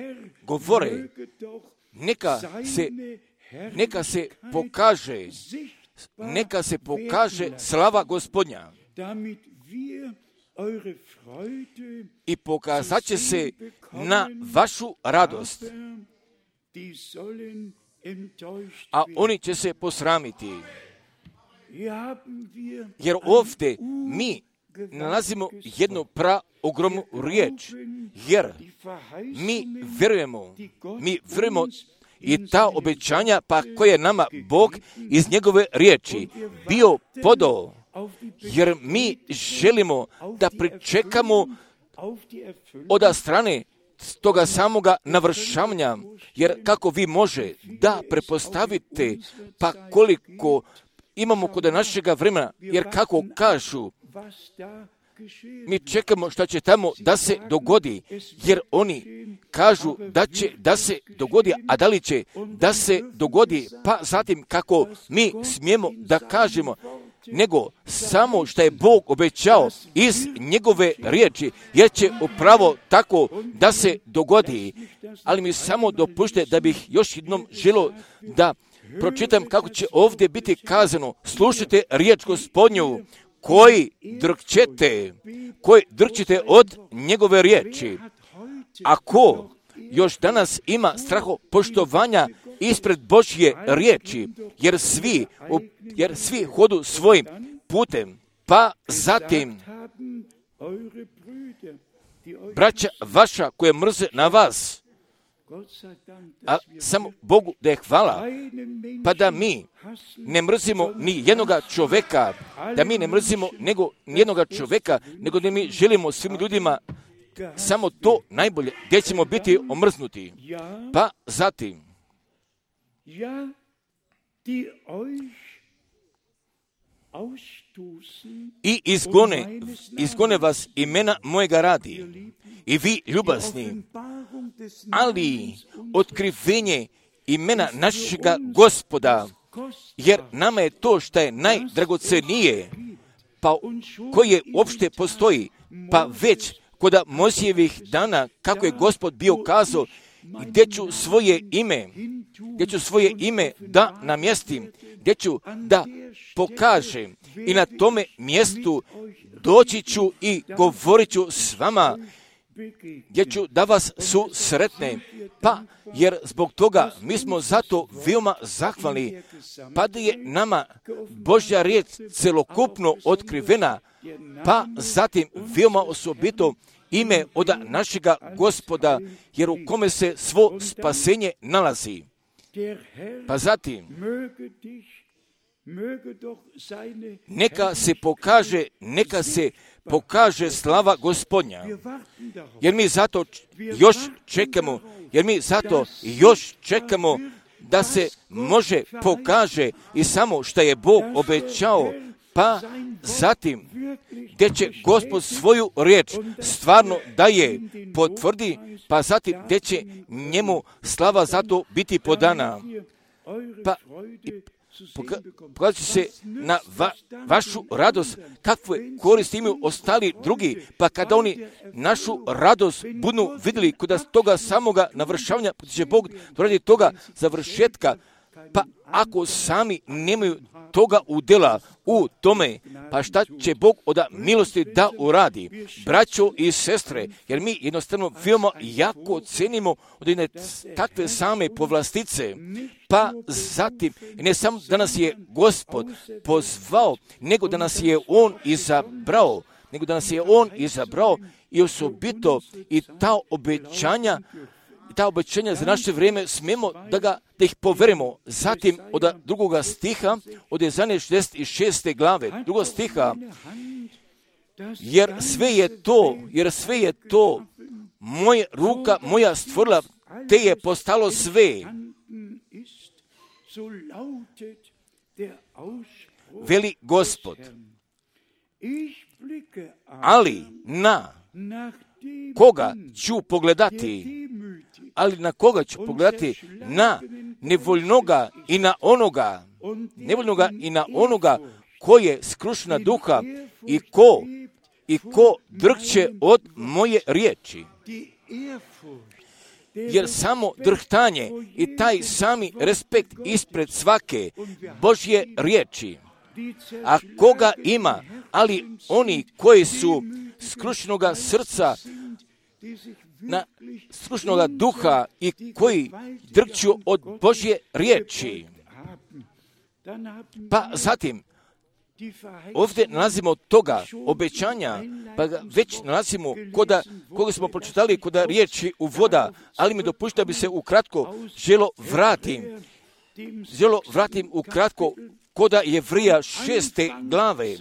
govore, neka se pokaže slava Gospodnja i pokazat će se na vašu radost, a oni će se posramiti. Jer ovdje mi nalazimo jednu ogromnu riječ, jer mi vjerujemo i ta obećanja pa koje nama Bog iz njegove riječi bio podao, jer mi želimo da pričekamo od strane toga samoga navršavanja, jer kako vi može da prepostavite pa koliko imamo kod našega vremena, jer kako kažu, mi čekamo što će tamo da se dogodi, jer oni kažu da će da se dogodi, a da li će da se dogodi, pa zatim kako mi smijemo da kažemo, nego samo što je Bog obećao iz njegove riječi, jer će upravo tako da se dogodi. Ali mi samo dopušte da bih još jednom želio da pročitam kako će ovdje biti kazano. Slušajte riječ Gospodnju, koji drhčete od njegove riječi. Ako još danas ima strahopoštovanja ispred Božje riječi, jer svi hodu svojim putem, pa zatim braća vaša koje mrze na vas, a samo Bogu da je hvala, pa da mi ne mrzimo ni jednoga čovjeka, nego da mi želimo svim ljudima samo to najbolje, gdje ćemo biti omrznuti. Pa zatim, i izgone vas imena mojega radi, i vi ljubazni, ali otkrivenje imena našega Gospoda, jer nama je to što je najdragocenije, pa koje uopšte postoji, pa već kod Mojsijevih dana, kako je Gospod bio kazao, gdje ću svoje ime da namjestim, gdje ću da pokažem, i na tome mjestu doći ću i govorit ću s vama, gdje ću da vas susretne, pa jer zbog toga mi smo zato veoma zahvalni, pa da je nama Božja riječ celokupno otkrivena, pa zatim veoma osobito ime od našega Gospoda, jer u kome se svo spasenje nalazi. Pa zatim, neka se pokaže slava Gospodnja, jer mi zato još čekamo, da se može pokaže i samo što je Bog obećao, pa zatim gdje će Gospod svoju riječ stvarno da je potvrdi, pa zatim gdje će njemu slava zato biti podana. Pa pokazat će se na vašu radost, kakve koristi imaju ostali drugi, pa kada oni našu radost budu vidjeli kod toga samoga navršavanja, pa će Bog radi toga završetka, pa ako sami nemaju toga udjela u tome, pa šta će Bog od milosti da uradi? Braćo i sestre, jer mi jednostavno veoma jako cenimo od jedne takve same povlastice, pa zatim ne samo da nas je Gospod pozvao, nego da nas je On izabrao, i osobito i ta obećanja za naše vrijeme smijemo da ih poverimo. Zatim od 2. stiha, od 66. glave, 2. stiha, jer sve je to moja ruka moja stvorila, te je postalo sve. Veli Gospod. Ali na koga ću pogledati? Ali na koga ću pogledati? Na nevoljnoga i na onoga, nevoljnoga i na onoga ko je skrušena duha i ko drhće od moje riječi. Jer samo drhtanje i taj sami respekt ispred svake Božje riječi, a koga ima, ali oni koji su skrušenoga srca, skrušenoga duha i koji drhću od Božje riječi. Pa zatim, ovdje nalazimo toga obećanja, pa ga već nalazimo koga smo pročitali kod riječi u voda, ali mi dopušta da bi se ukratko želo vratim ukratko kod Jevrija 6. glave,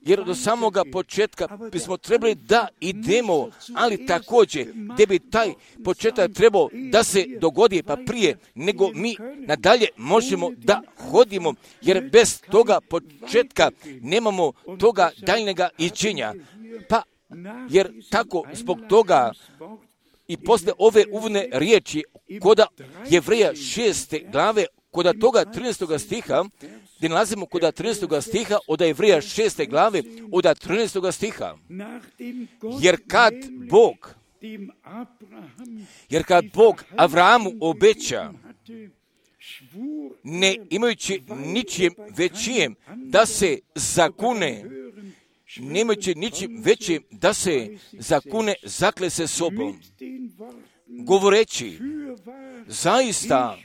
jer do samoga početka bismo trebali da idemo, ali također gdje bi taj početak trebao da se dogodi pa prije nego mi nadalje možemo da hodimo, jer bez toga početka nemamo toga daljnjega iđenja. Pa jer tako zbog toga i posle ove uvodne riječi kod Jevrija 6. glave, kod toga 13. stiha, gdje nalazimo kod 13. stiha od Jevrija 6. glave od 13. stiha. Jer kad Bog Avrahamu obeća, ne imajući ničim većim da se zakune, nemajući ničim većim da se zakune, zakle se sobom, govoreći, zaista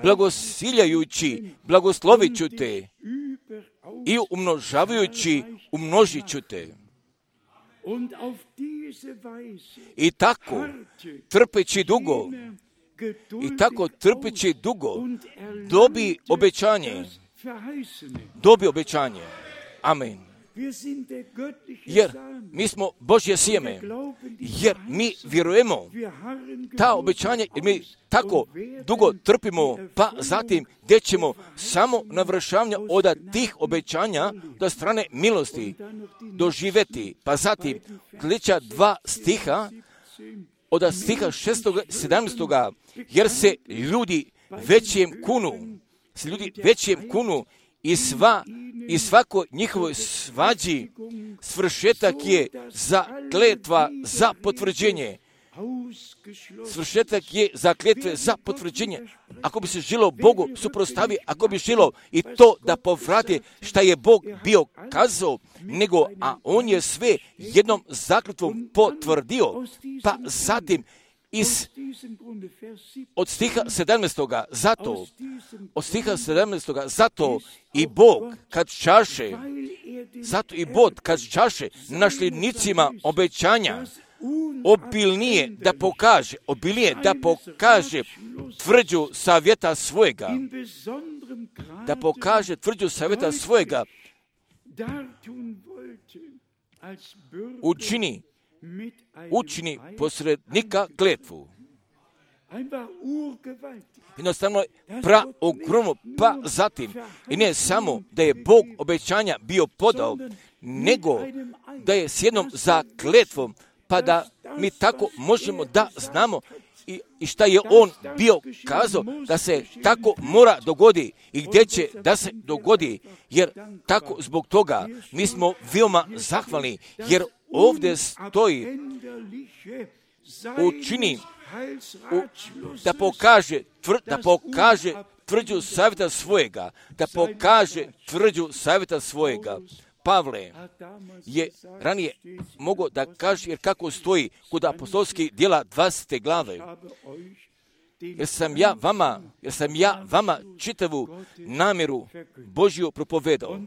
blagosiljajući, blagoslovit ću te i umnožavajući, umnožit ću te. I tako, trpeći dugo, dobi obećanje. Amen. Jer mi smo Božje sjeme, jer mi vjerujemo ta obećanja, jer mi tako dugo trpimo, pa zatim gdje ćemo samo navršavanja od tih obećanja do strane milosti doživjeti. Pa zatim sljedeća 2 stiha, od stiha 6. 17. jer se ljudi većem kunu i svako njihovoj svađi svršetak je za kletva za potvrđenje. Svršetak je za kletve za potvrđenje. Ako bi se želo Bogu suprotstavi, ako bi želo i to da povrati šta je Bog bio kazao, a on je sve jednom zakletvom potvrdio, pa zatim od stiha 17. zato i Bog kad čaše našlednicima obećanja obilnije da pokaže tvrđu savjeta svojega, učini posrednika kletvu. Jednostavno praogromno, pa zatim i ne samo da je Bog obećanja bio podao, nego da je s jednom zakletvom, pa da mi tako možemo da znamo i šta je on bio kazao da se tako mora dogodi i gdje će da se dogodi, jer tako zbog toga mi smo veoma zahvalni, jer ovdje stoji učini da pokaže tvrđu savjeta svojega, Pavle je ranije mogao da kaže, jer kako stoji kod apostolskih djela 20. glave, jer sam ja vama čitavu namjeru Božju propovedao.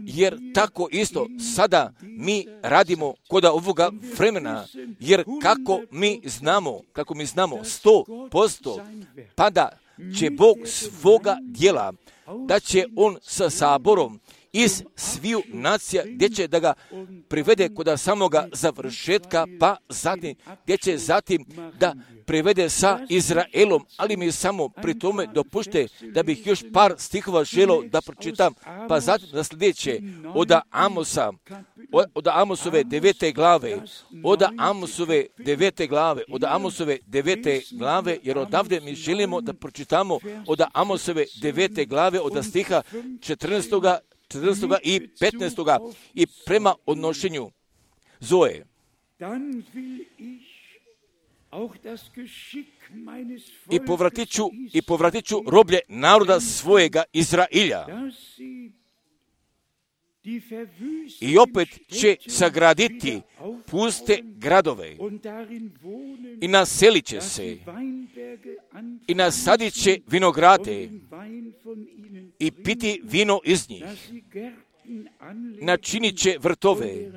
Jer tako isto sada mi radimo kod ovoga vremena, jer kako mi znamo 100%, pa da će Bog svoga djela, da će on sa saborom iz sviju nacija, gdje će da ga privede kod samoga završetka, pa zatim, gdje će zatim da privede sa Izraelom, ali mi samo pri tome dopušte da bih još par stihova želio da pročitam, pa zatim da sljedeće od Amosove 9. glave, od Amosove 9. glave, jer odavde mi želimo da pročitamo od Amosove 9. glave, od stiha 14. i 15. i prema odnošenju Zoe. I povratit ću roblje naroda svojega Izrailja. I opet će sagraditi puste gradove i naselit će se i nasadit će vinograde i piti vino iz njih. Načinit će vrtove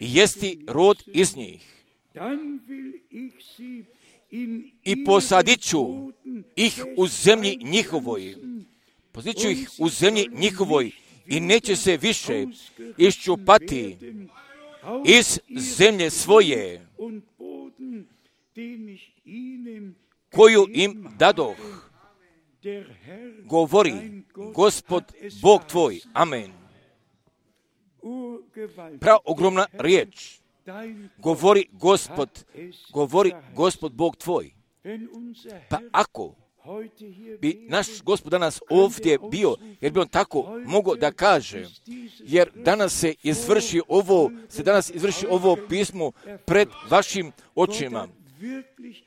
i jesti rod iz njih. I posadit ću ih u zemlji njihovoj. Posadit ću ih u zemlji njihovoj i neće se više iščupati iz zemlje svoje, koju im dadoh, govori Gospod Bog tvoj. Amen. Ogromna riječ. Govori Gospod Bog tvoj. Pa ako bi naš Gospod danas ovdje bio, jer bi on tako mogao da kaže, jer danas se izvrši ovo pismo pred vašim očima.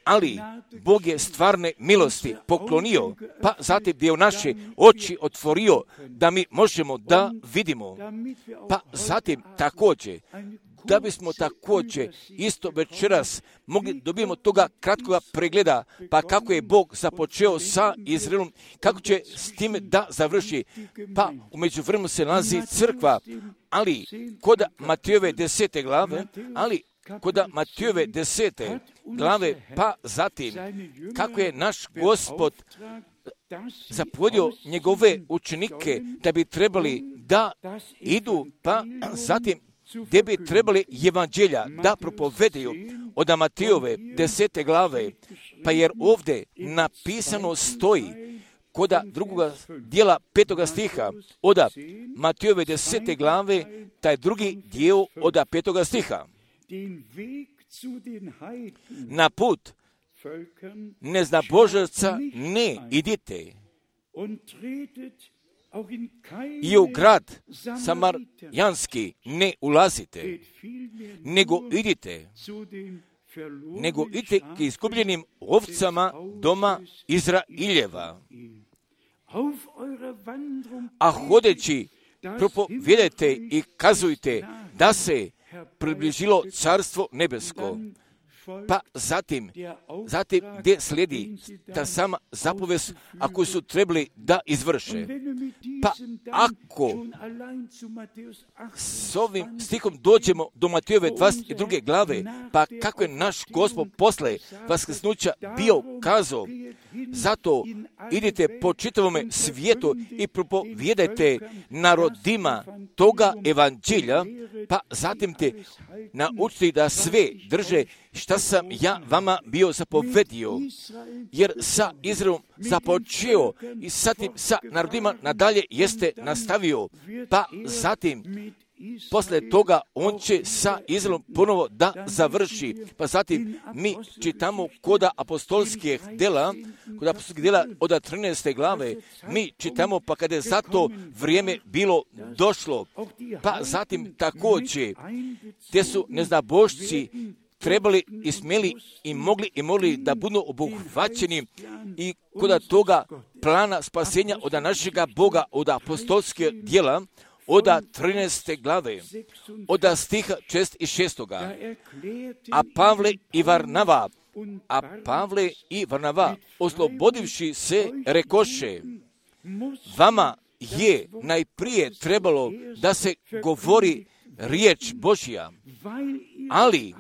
Ali Bog je stvarne milosti poklonio, pa zatim gdje je naše oči otvorio da mi možemo da vidimo. Pa zatim također, da bismo također isto večeras mogli dobijemo toga kratkoga pregleda, pa kako je Bog započeo sa Izraelom, kako će s time da završi. Pa u međuvremenu se nalazi crkva, ali kod Matejove 10. glave, pa zatim kako je naš Gospod zapovjedio njegove učenike da bi trebali da idu, pa zatim gdje bi trebali evanđelja da propovedaju od Matejove 10. glave, pa jer ovdje napisano stoji kod drugoga dijela 5. stiha od Matejove 10. glave, taj drugi dio od 5. stiha. Na put neznabožaca ne idite i u grad Samarjanski ne ulazite, nego idite k izgubljenim ovcama doma Izraeljeva. A hodeći propovijedajte i kazujte da se približilo carstvo nebesko. Pa zatim gdje slijedi ta sama zapovest, ako su trebali da izvrše. Pa ako s ovim stihom dođemo do Matejove 22. glave, pa kako je naš Gospod posle vaskrsnuća bio kazao, zato idite po čitavome svijetu i propovijedajte narodima toga evanđelja, pa zatim te naučiti da sve drže šta sam ja vama bio zapovedio, jer sa Izraelom započeo i zatim sa narodima nadalje jeste nastavio, pa zatim posle toga on će sa Izraelom ponovo da završi. Pa zatim mi čitamo kod apostolskih dela od 13. glave, mi čitamo pa kada je za to vrijeme bilo došlo, pa zatim također gdje su neznabošci trebali i smjeli i mogli da budu obuhvaćeni i kod toga plana spasenja od našega Boga, od apostolskih djela, od 13. glave, od stiha 6 i 6. A Pavle i Varnava, oslobodivši se, rekoše, vama je najprije trebalo da se govori riječ Božja, ali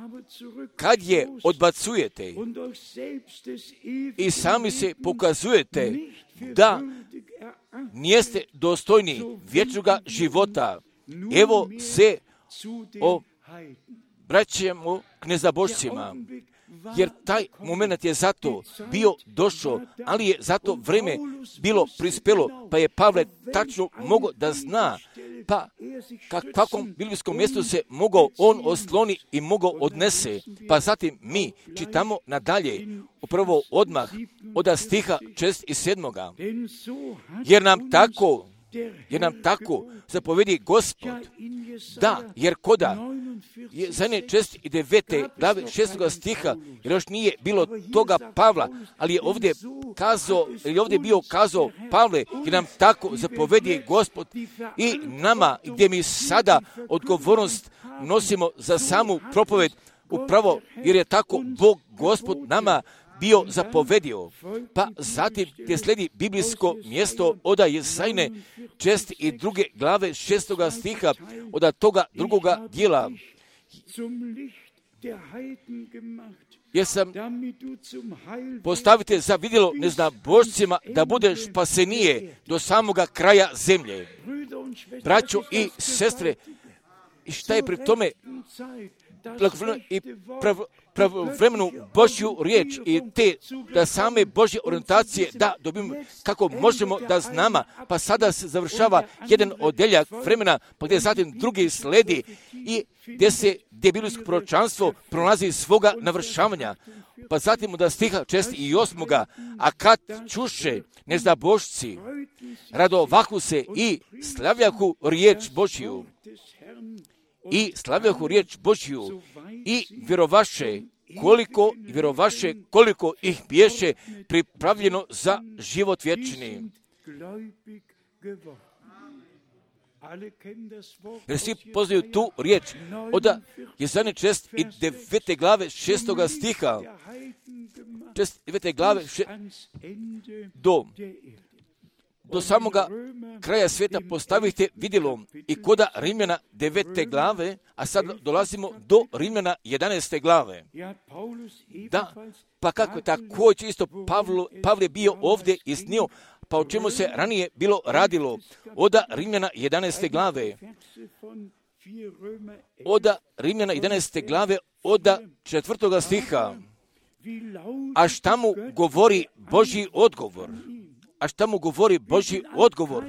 kad je odbacujete i sami se pokazujete da nijeste dostojni vječnoga života. Evo se obraćamo k nezabožcima, jer taj moment je zato bio došao, ali je zato vrijeme bilo prispelo, pa je Pavle tačno mogao da zna, pa kakvom biblijskom mjestu se mogao on osloni i mogao odnese. Pa zatim mi čitamo nadalje, upravo odmah od stiha 6 i 7. Jer nam tako zapovedi Gospod. Da, jer koda je za ne 6 i 9. glave 6. stiha, jer još nije bilo toga Pavla, ali je ovdje bio kazao Pavle, jer nam tako zapovedi Gospod i nama, gdje mi sada odgovornost nosimo za samu propoved, upravo jer je tako Bog Gospod nama bio zapovedio. Pa zatim gdje slijedi biblijsko mjesto od Jesajne 6 i 2. glave 6. stiha od toga drugoga dijela. Jer sam postavite za vidjelo neznabošcima da budeš spasenije do samoga kraja zemlje. Braćo i sestre, i šta je pri tome i pravovremenu Božju riječ i te da same Božje orijentacije da dobimo kako možemo da znamo, pa sada se završava jedan odeljak vremena, pa gdje zatim drugi sledi i gdje biblijsko proročanstvo prolazi svoga navršavanja. Pa zatim od stiha 6 i 8. A kad čuše neznabošci, radovahu se i slavljahu riječ Božju. I slavljahu riječ Božju i vjerovaše koliko ih biješe pripravljeno za život vječni. Jer svi poznaju tu riječ od Jesajne 6 i 9. glave 6. stiha. 9. glave do samoga kraja svijeta postavite vidjelo i koda Rimljana 9. glave, a sad dolazimo do Rimljana 11. glave. Da, pa kako je također isto Pavle bio ovdje iznio, pa o čemu se ranije bilo radilo od Rimljana 11. glave. Od Rimljana 11. glave od 4. stiha. A šta mu govori Božji odgovor?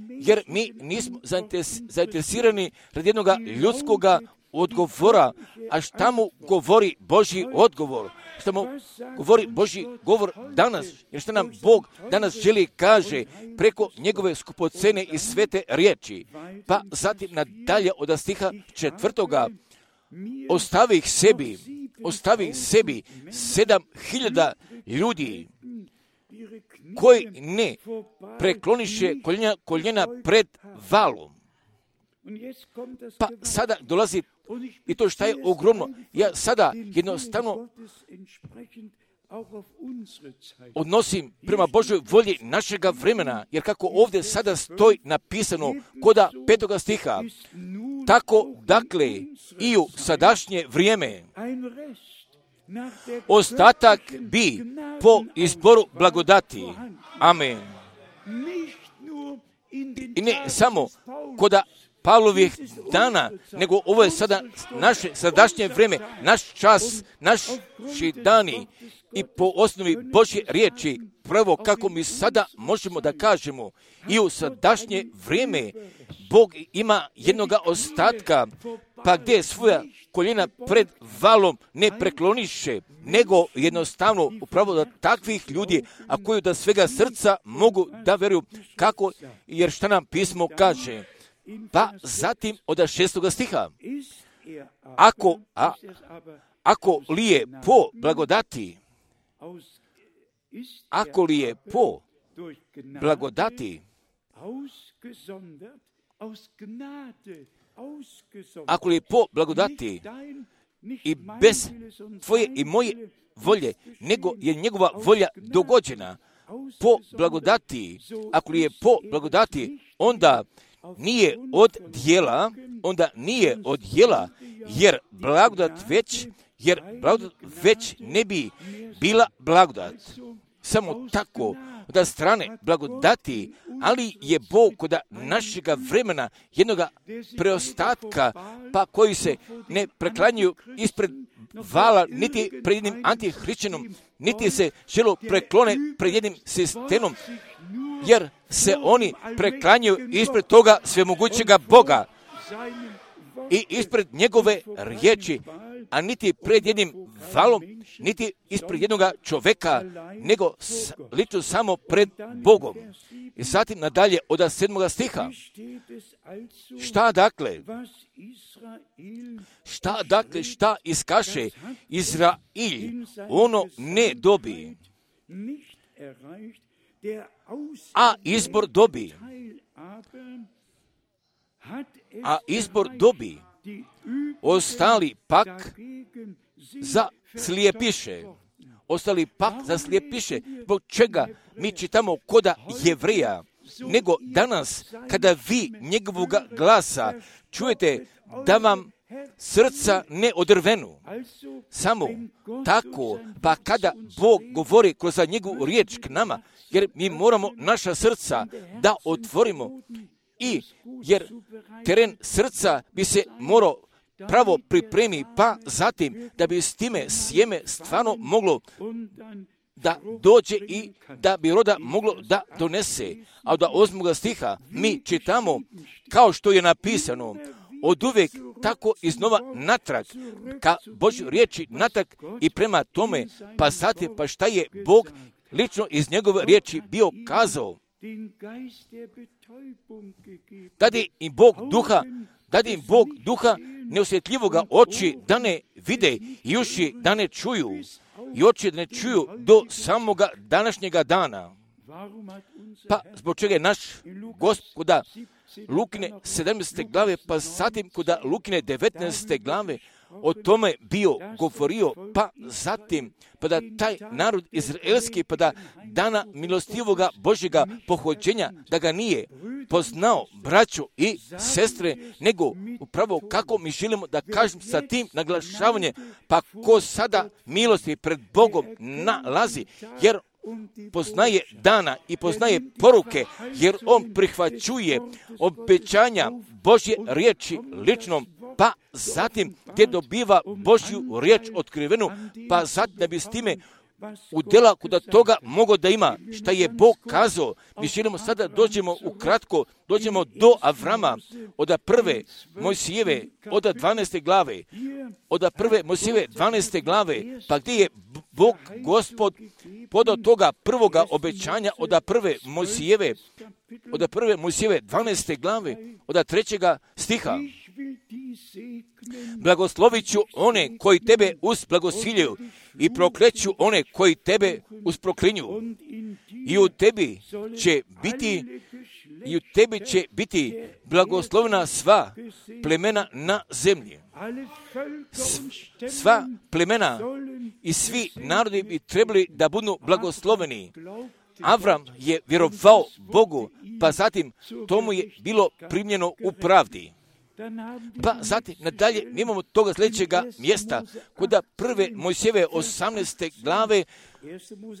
Jer mi nismo zainteresirani radi jednog ljudskog odgovora. A šta mu govori Božji odgovor? Šta mu govori Božji govor danas? Jer šta nam Bog danas želi kaže preko njegove skupocene i svete riječi. Pa zatim nadalje od stiha 4. Ostavi sebi 7.000 ljudi koji ne prekloniše koljena pred valom. Pa sada dolazi i to šta je ogromno. Ja sada jednostavno odnosim prema Božoj volji našega vremena, jer kako ovdje sada stoji napisano koda 5. stiha, tako dakle i u sadašnje vrijeme ostatak bi po izboru blagodati. Amen. I ne samo koda Pavlovih dana, nego ovo je sada naše sadašnje vrijeme, naš čas, naši dani i po osnovi Božje riječi, prvo kako mi sada možemo da kažemo i u sadašnje vrijeme Bog ima jednoga ostatka, pa gdje svoja koljena pred valom ne prekloniše, nego jednostavno upravo da takvih ljudi, a koji da svega srca mogu da vjeruju kako, jer šta nam pismo kaže. Pa zatim od 6. stiha. Ako li je po blagodati, ako li je po blagodati i bez tvoje i moje volje, nego je njegova volja dogođena po blagodati, ako li je po blagodati, onda nije od djela, jer blagodat već ne bi bila blagodat. samo tako da strane blagodati, ali je Bog kod našega vremena jednoga preostatka, pa koji se ne preklanjuju ispred vala, niti pred jednim antihrišćanom, niti se želo preklone pred jednim sistemom, jer se oni preklanjuju ispred toga svemogućega Boga i ispred njegove riječi, a niti pred jednim valom, niti ispred jednog čoveka, nego lično samo pred Bogom. I zatim nadalje od 7. stiha. Šta iskaše Izrail, ono ne dobi, a izbor dobi. Ostali pak zaslijepiše. Zbog čega mi čitamo koda Jevrija, nego danas kada vi njegovog glasa čujete da vam srca ne odrvenu. Samo tako, pa kada Bog govori kroz njegovu riječ k nama, jer mi moramo naša srca da otvorimo, i jer teren srca bi se morao pravo pripremi, pa zatim da bi s time sjeme stvarno moglo da dođe i da bi roda moglo da donese. A od 8. stiha mi čitamo kao što je napisano, od uvijek tako iznova natrag, ka Božjoj riječi natrag i prema tome, pa zatim pa šta je Bog lično iz njegove riječi bio kazao. Dadi im Bog duha neosjetljivoga, oči da ne vide i uši da ne čuju, i oči da ne čuju do samoga današnjega dana. Pa zbog čega je naš Gospoda Lukine 17. glave, pa zatim koda Lukine 19. glave o tome bio govorio, pa zatim pa da taj narod izraelski, pa da dana milostivoga Božjega pohođenja, da ga nije poznao, braću i sestre, nego upravo kako mi želimo da kažem sa tim naglašavanjem, pa ko sada milosti pred Bogom nalazi, jer poznaje dana i poznaje poruke, jer on prihvaćuje obećanja Božje riječi ličnom, pa zatim te dobiva Božju riječ otkrivenu, pa zatim da bi s time udjela kuda toga mogo da ima šta je Bog kazao. Mi želimo sada dođemo do Avrama, od prve Mojsijeve, od 12. glave, od prve Mojsijeve 12. glave, pa gdje je Bog Gospod podao toga prvoga obećanja od prve Mojsijeve 12. glave, od 3. stiha. Blagoslovit ću one koji tebe usblagosiljaju i prokleću one koji tebe usproklinju. I u tebi će biti blagoslovena sva plemena na zemlji. Sva plemena i svi narodi bi trebali da budu blagosloveni. Avram je vjerovao Bogu, pa zatim tomu je bilo primljeno u pravdi. Pa zatim nadalje mi imamo toga sljedećega mjesta kod prve Mojsijeve 18. glave,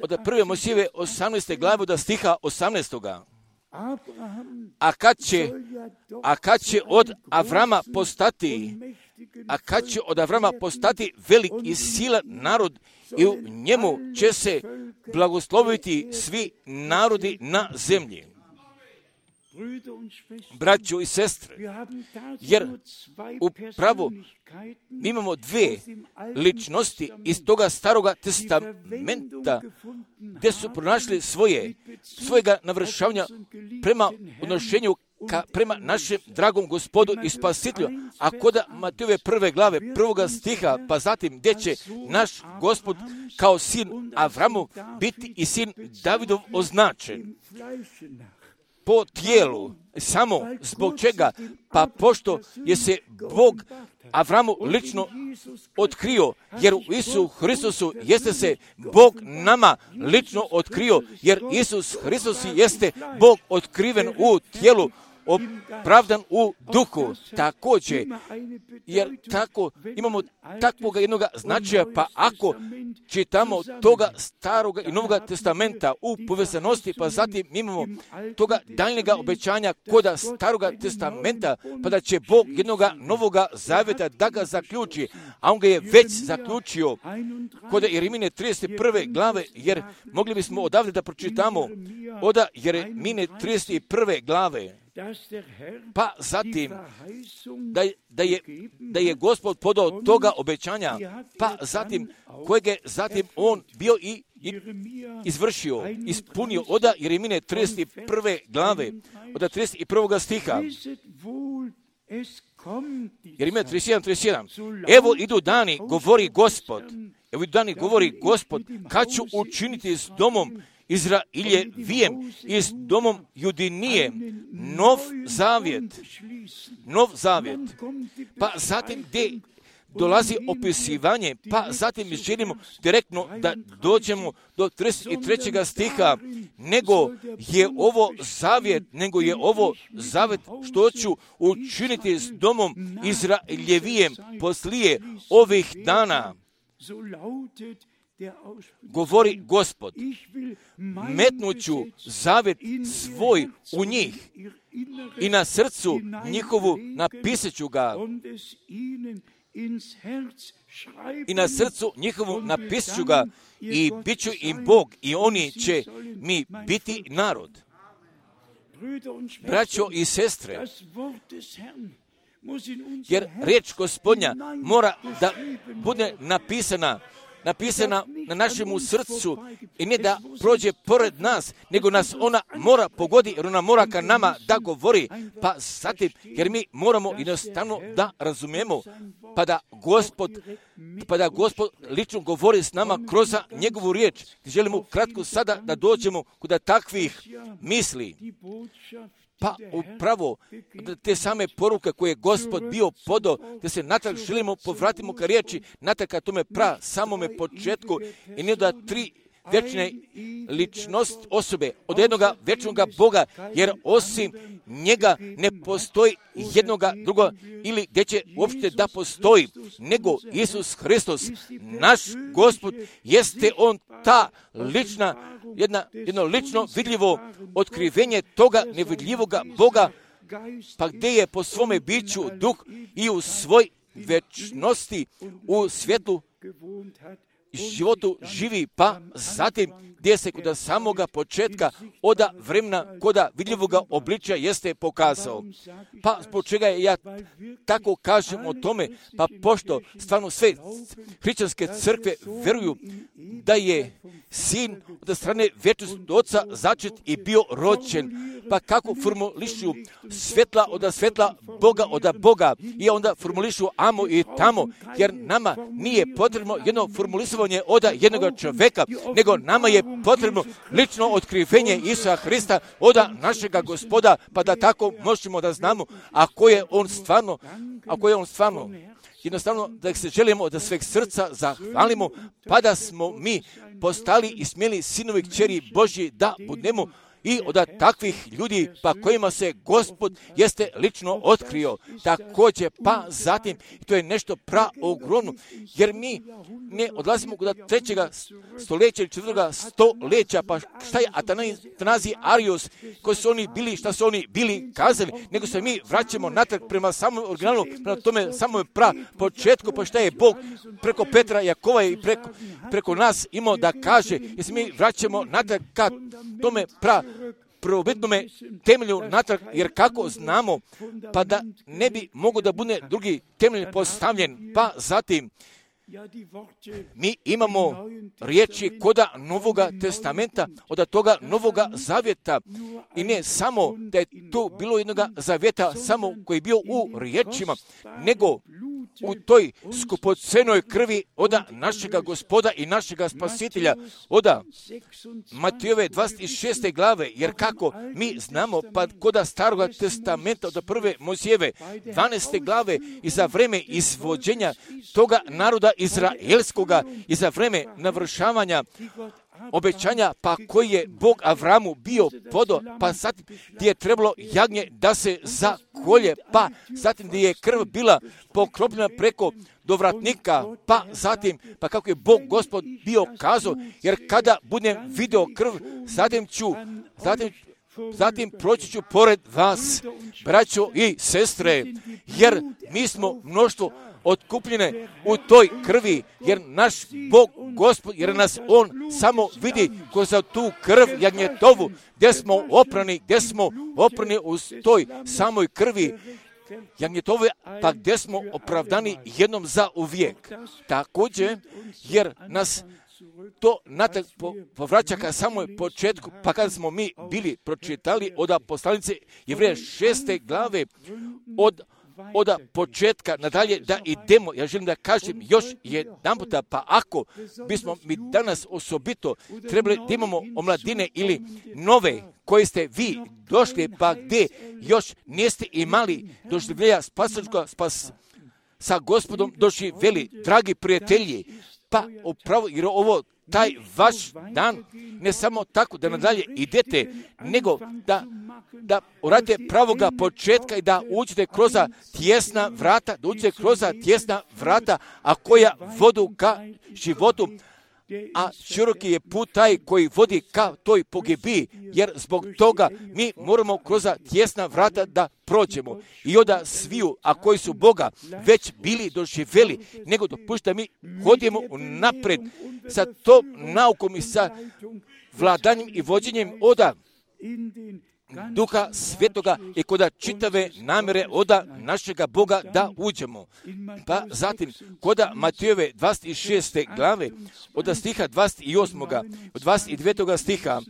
od prve Mojsijeve 18. glave od stiha 18. A kad će od Avrama postati velik i silan narod, i u njemu će se blagosloviti svi narodi na zemlji. Braćo i sestre, jer upravo mi imamo dvije ličnosti iz toga staroga testamenta gdje su pronašli svojega navršavanja prema odnošenju prema našem dragom Gospodu i Spasitelju, a kod Matejove 1. glave 1. stiha, pa zatim gdje će naš Gospod kao sin Avramov biti i sin Davidov označen po tijelu. Samo zbog čega? Pa pošto je se Bog Avramu lično otkrio, jer u Isusu Hristusu jeste se Bog nama lično otkrio, jer Isus Hristus jeste Bog otkriven u tijelu. opravdan u duhu. Također, jer tako imamo takvog jednog značaja, pa ako čitamo toga staroga i novoga testamenta u povezanosti, pa zatim imamo toga daljnjega obećanja koda staroga testamenta, pa da će Bog jednoga novoga zavjeta da ga zaključi, a on ga je već zaključio kod Jeremije 31. glave, jer mogli bismo odavde da pročitamo od Jeremije 31. glave, pa zatim da je Gospod podao toga obećanja, pa zatim kojeg je zatim on bio i izvršio, ispunio od Jeremije 31. glave, od 31. stiha. Jeremija 31. Evo idu dani, govori Gospod, kad ću učiniti s domom Izraeljevijem i s domom Judinije nov zavjet. Pa zatim gdje dolazi opisivanje, pa zatim želimo direktno da dođemo do 33. stiha, nego je ovo zavjet što ću učiniti s domom Izraeljevijem poslije ovih dana. Govori Gospod, metnuću zavjet svoj u njih i na srcu njihovu napisaću ga. I bit ću im Bog i oni će mi biti narod. Braćo i sestre, jer riječ Gospodnja mora da bude napisana na našemu srcu i ne da prođe pored nas, nego nas ona mora pogodi, jer ona mora ka nama da govori, pa zatim, jer mi moramo jednostavno da razumijemo, pa da Gospod lično govori s nama kroz njegovu riječ. Želimo kratko sada da dođemo kod takvih misli. Pa upravo te same poruke koje je Gospod bio podao, da se natrag želimo povratimo ka riječi, natrag ka tome samome početku i ne da tri vječne ličnost osobe od jednoga vječnoga Boga, jer osim njega ne postoji jednoga druga ili gdje će uopšte da postoji, nego Isus Hristos, naš Gospod, jeste on ta lična, jedno lično vidljivo otkrivenje toga nevidljivoga Boga, pa gdje je po svome biću duh i u svoj vječnosti u svijetu životu živi, pa zatim gdje se kod samoga početka od vremena koda vidljivoga obličja jeste pokazao. Pa zbog čega ja tako kažem o tome, pa pošto stvarno sve hrišćanske crkve veruju da je sin od strane vječnog oca začet i bio rođen, pa kako formulišu svjetla od svjetla, Boga od Boga, i onda formulišu amo i tamo, jer nama nije potrebno jedno formulisovanje od jednog čovjeka, nego nama je potrebno lično otkrivenje Isusa Hrista od našega Gospoda, pa da tako možemo da znamo ako je on stvarno. Jednostavno da se želimo od sveg srca zahvalimo, pa da smo mi postali i smjeli sinovi kćeri Božji da budemo i od takvih ljudi pa kojima se Gospod jeste lično otkrio. Također, pa zatim, to je nešto ogromno, jer mi ne odlazimo kod 3. stoljeća ili 4. stoljeća, pa šta je Atanazij Arius, koji su oni bili, šta su oni bili kazali, nego se mi vraćamo natrag prema samom originalu, prema tome samom početku, pa šta je Bog preko Petra, Jakova i preko nas imao da kaže, jer se mi vraćamo natrag ka tome prvobitnome temelju natrag, jer kako znamo, pa da ne bi mogao da bude drugi temelj postavljen, pa zatim mi imamo riječi koda Novoga testamenta, od toga Novoga zavjeta, i ne samo da je to bilo jednoga zavjeta samo koji je bio u riječima, nego u toj skupocenoj krvi od našega Gospoda i našega Spasitelja, od Matejove 26. glave, jer kako mi znamo, pa koda Staroga testamenta od prve Mojsijeve 12. glave i za vreme izvođenja toga naroda izraelskoga i za vreme navršavanja obećanja, pa koji je Bog Avramu bio podo, pa zatim gdje je trebalo jagnje da se zakolje, pa zatim gdje je krv bila pokropljena preko dovratnika, pa zatim, pa kako je Bog Gospod bio kazao, jer kada budem video krv, zatim proći ću pored vas, braćo i sestre, jer mi smo mnoštvo otkupljene u toj krvi, jer naš Bog Gospod, jer nas On samo vidi kroz tu krv jagnjetovu, gdje smo oprani u toj samoj krvi jagnjetove, pa gdje smo opravdani jednom za uvijek. Također, jer nas to natak povraća ka samoj početku, pa kada smo mi bili pročitali od poslanice Jevreja 6. glave, od početka nadalje da idemo, ja želim da kažem još jedan puta, pa ako bismo mi danas osobito trebali da imamo omladine ili nove koje ste vi došli, pa gdje još niste imali doživljenja spasačka sa Gospodom doživjeli, dragi prijatelji, pa upravo jer ovo taj vaš dan, ne samo tako da nadalje idete, nego da uradite pravoga početka i da uđete kroz tjesna vrata, a koja vodu ka životu, a široki je put taj koji vodi ka toj pogibiji, jer zbog toga mi moramo kroz tjesna vrata da prođemo. I onda sviju, a koji su Boga već bili doživjeli, nego dopušta mi hodimo napred sa tom naukom i sa vladanjem i vođenjem oda Duha Svetoga i kod čitave namjere oda našega Boga da uđemo. Pa zatim, kod Matejove 26. glave, od stiha 28. od 29. stiha,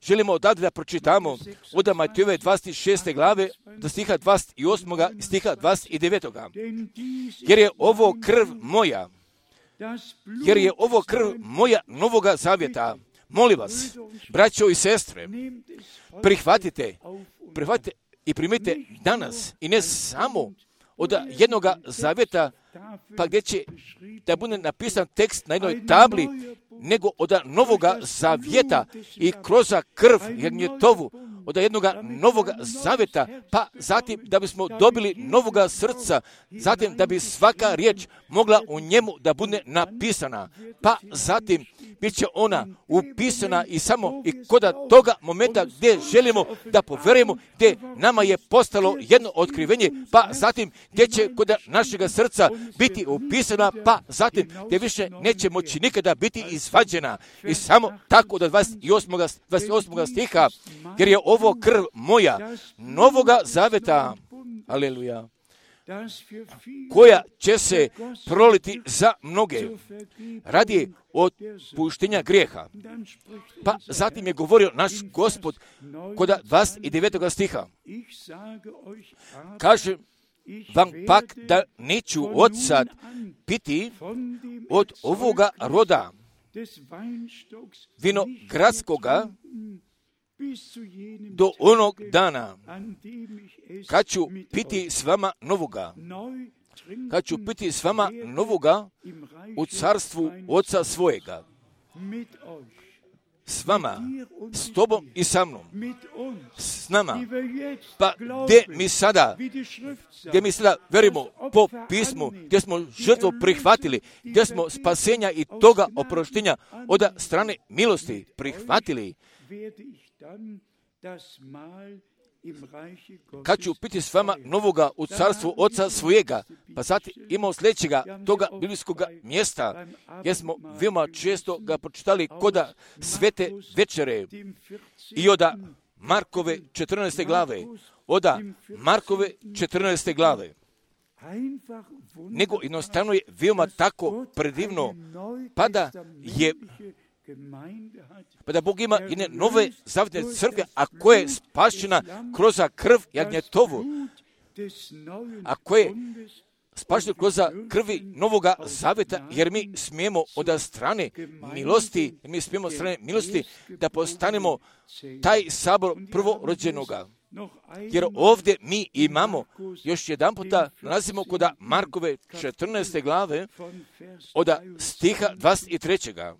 želimo odavde da pročitamo od Matejove 26. glave, do stiha 28. i stiha 29. Jer je ovo krv moja novoga zavjeta. Molim vas, braćo i sestre, prihvatite i primite danas, i ne samo od jednoga zavjeta, pa gdje će da bude napisan tekst na jednoj tabli, nego od novoga zavjeta i kroz krv jagnjetovu, od jednoga novoga zavjeta, pa zatim da bismo dobili novoga srca, zatim da bi svaka riječ mogla u njemu da bude napisana, pa zatim bit će ona upisana i samo i kod toga momenta gdje želimo da poverujemo, gdje nama je postalo jedno otkrivenje, pa zatim gdje će kod našega srca biti upisana, pa zatim gdje više neće moći nikada biti izvađena. I samo tako do 28. stiha, jer je ovo krv moja novoga zaveta, aleluja, koja će se proliti za mnoge radi otpuštenja grijeha. Pa zatim je govorio naš Gospod kod 29. stiha. Kaže vam pak da neću odsad piti od ovoga roda vinogradskoga do onog dana kad ću piti s vama novoga u carstvu Oca svojega. S vama, s tobom i sa mnom, s nama. Pa gdje mi sada verimo po pismu, gdje smo žrtvu prihvatili, gdje smo spasenja i toga oproštenja od strane milosti prihvatili, kad ću piti s vama novoga u carstvu Oca svojega, pa zatim imamo sljedećega toga biblijskoga mjesta, gdje smo veoma često ga pročitali kod svete večere i od Markove 14. glave, nego jednostavno je veoma tako predivno, pa da Bog ima jedne nove zavjetne crkve, a koja je spašena kroz krv jagnjetovu, a koja je spašena kroz krvi novoga zavjeta, jer mi smijemo od strane milosti, da postanemo taj sabor prvorođenoga. Jer ovdje mi imamo, još jedan puta nalazimo kod Markove 14. glave, od stiha 23.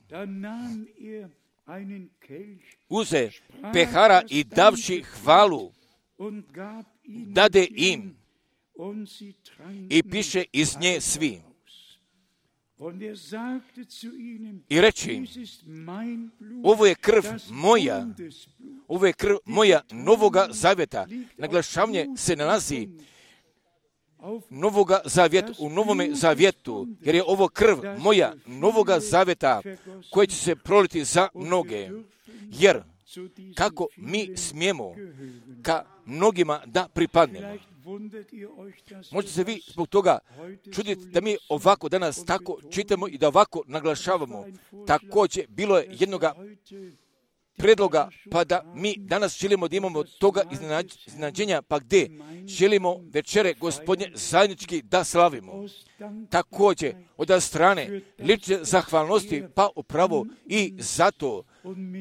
Uze pehara i davši hvalu, dade im i piše iz nje svi. I reći im, ovo je krv moja novoga zavjeta. Naglašavanje se nalazi novoga zavjeta u novome zavjetu, jer je ovo krv moja novoga zavjeta koja će se proliti za mnoge. Jer kako mi smijemo ka mnogima da pripadnemo. Možete se vi zbog toga čuditi da mi ovako danas tako čitamo i da ovako naglašavamo. Također bilo je jednoga predloga, pa da mi danas želimo da imamo toga iznenađenja, pa gdje želimo večere Gospodnje zajednički da slavimo. Također od strane lične zahvalnosti, pa upravo i zato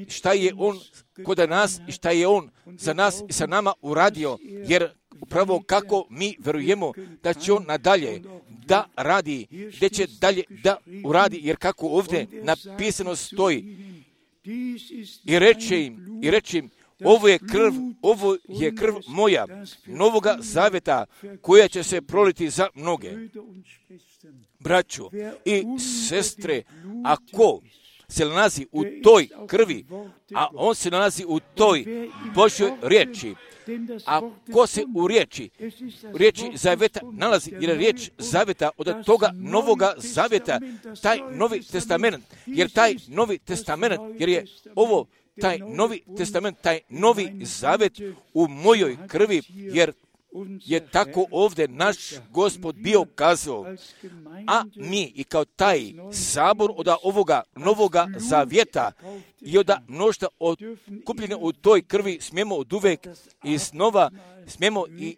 šta je On kod nas i šta je On za nas i sa nama uradio, jer upravo kako mi verujemo da će On nadalje da radi, gdje će dalje da uradi, jer kako ovdje napisano stoji, i reći im, ovo je krv moja, novoga zavjeta, koja će se proliti za mnoge. Braćo i sestre, ako se nalazi u toj krvi, a on se nalazi u toj Božjoj riječi, a ko se u riječi zavjeta nalazi, jer je riječ zavjeta od toga novoga zavjeta, taj novi testament, jer taj novi testament, jer je ovo taj novi testament, taj novi zavjet u mojoj krvi, jer je tako ovdje naš Gospod bio kazao, a mi i kao taj sabor od ovoga novoga zavjeta i od mnoštva kupljene u toj krvi smijemo od uvek i snova smijemo i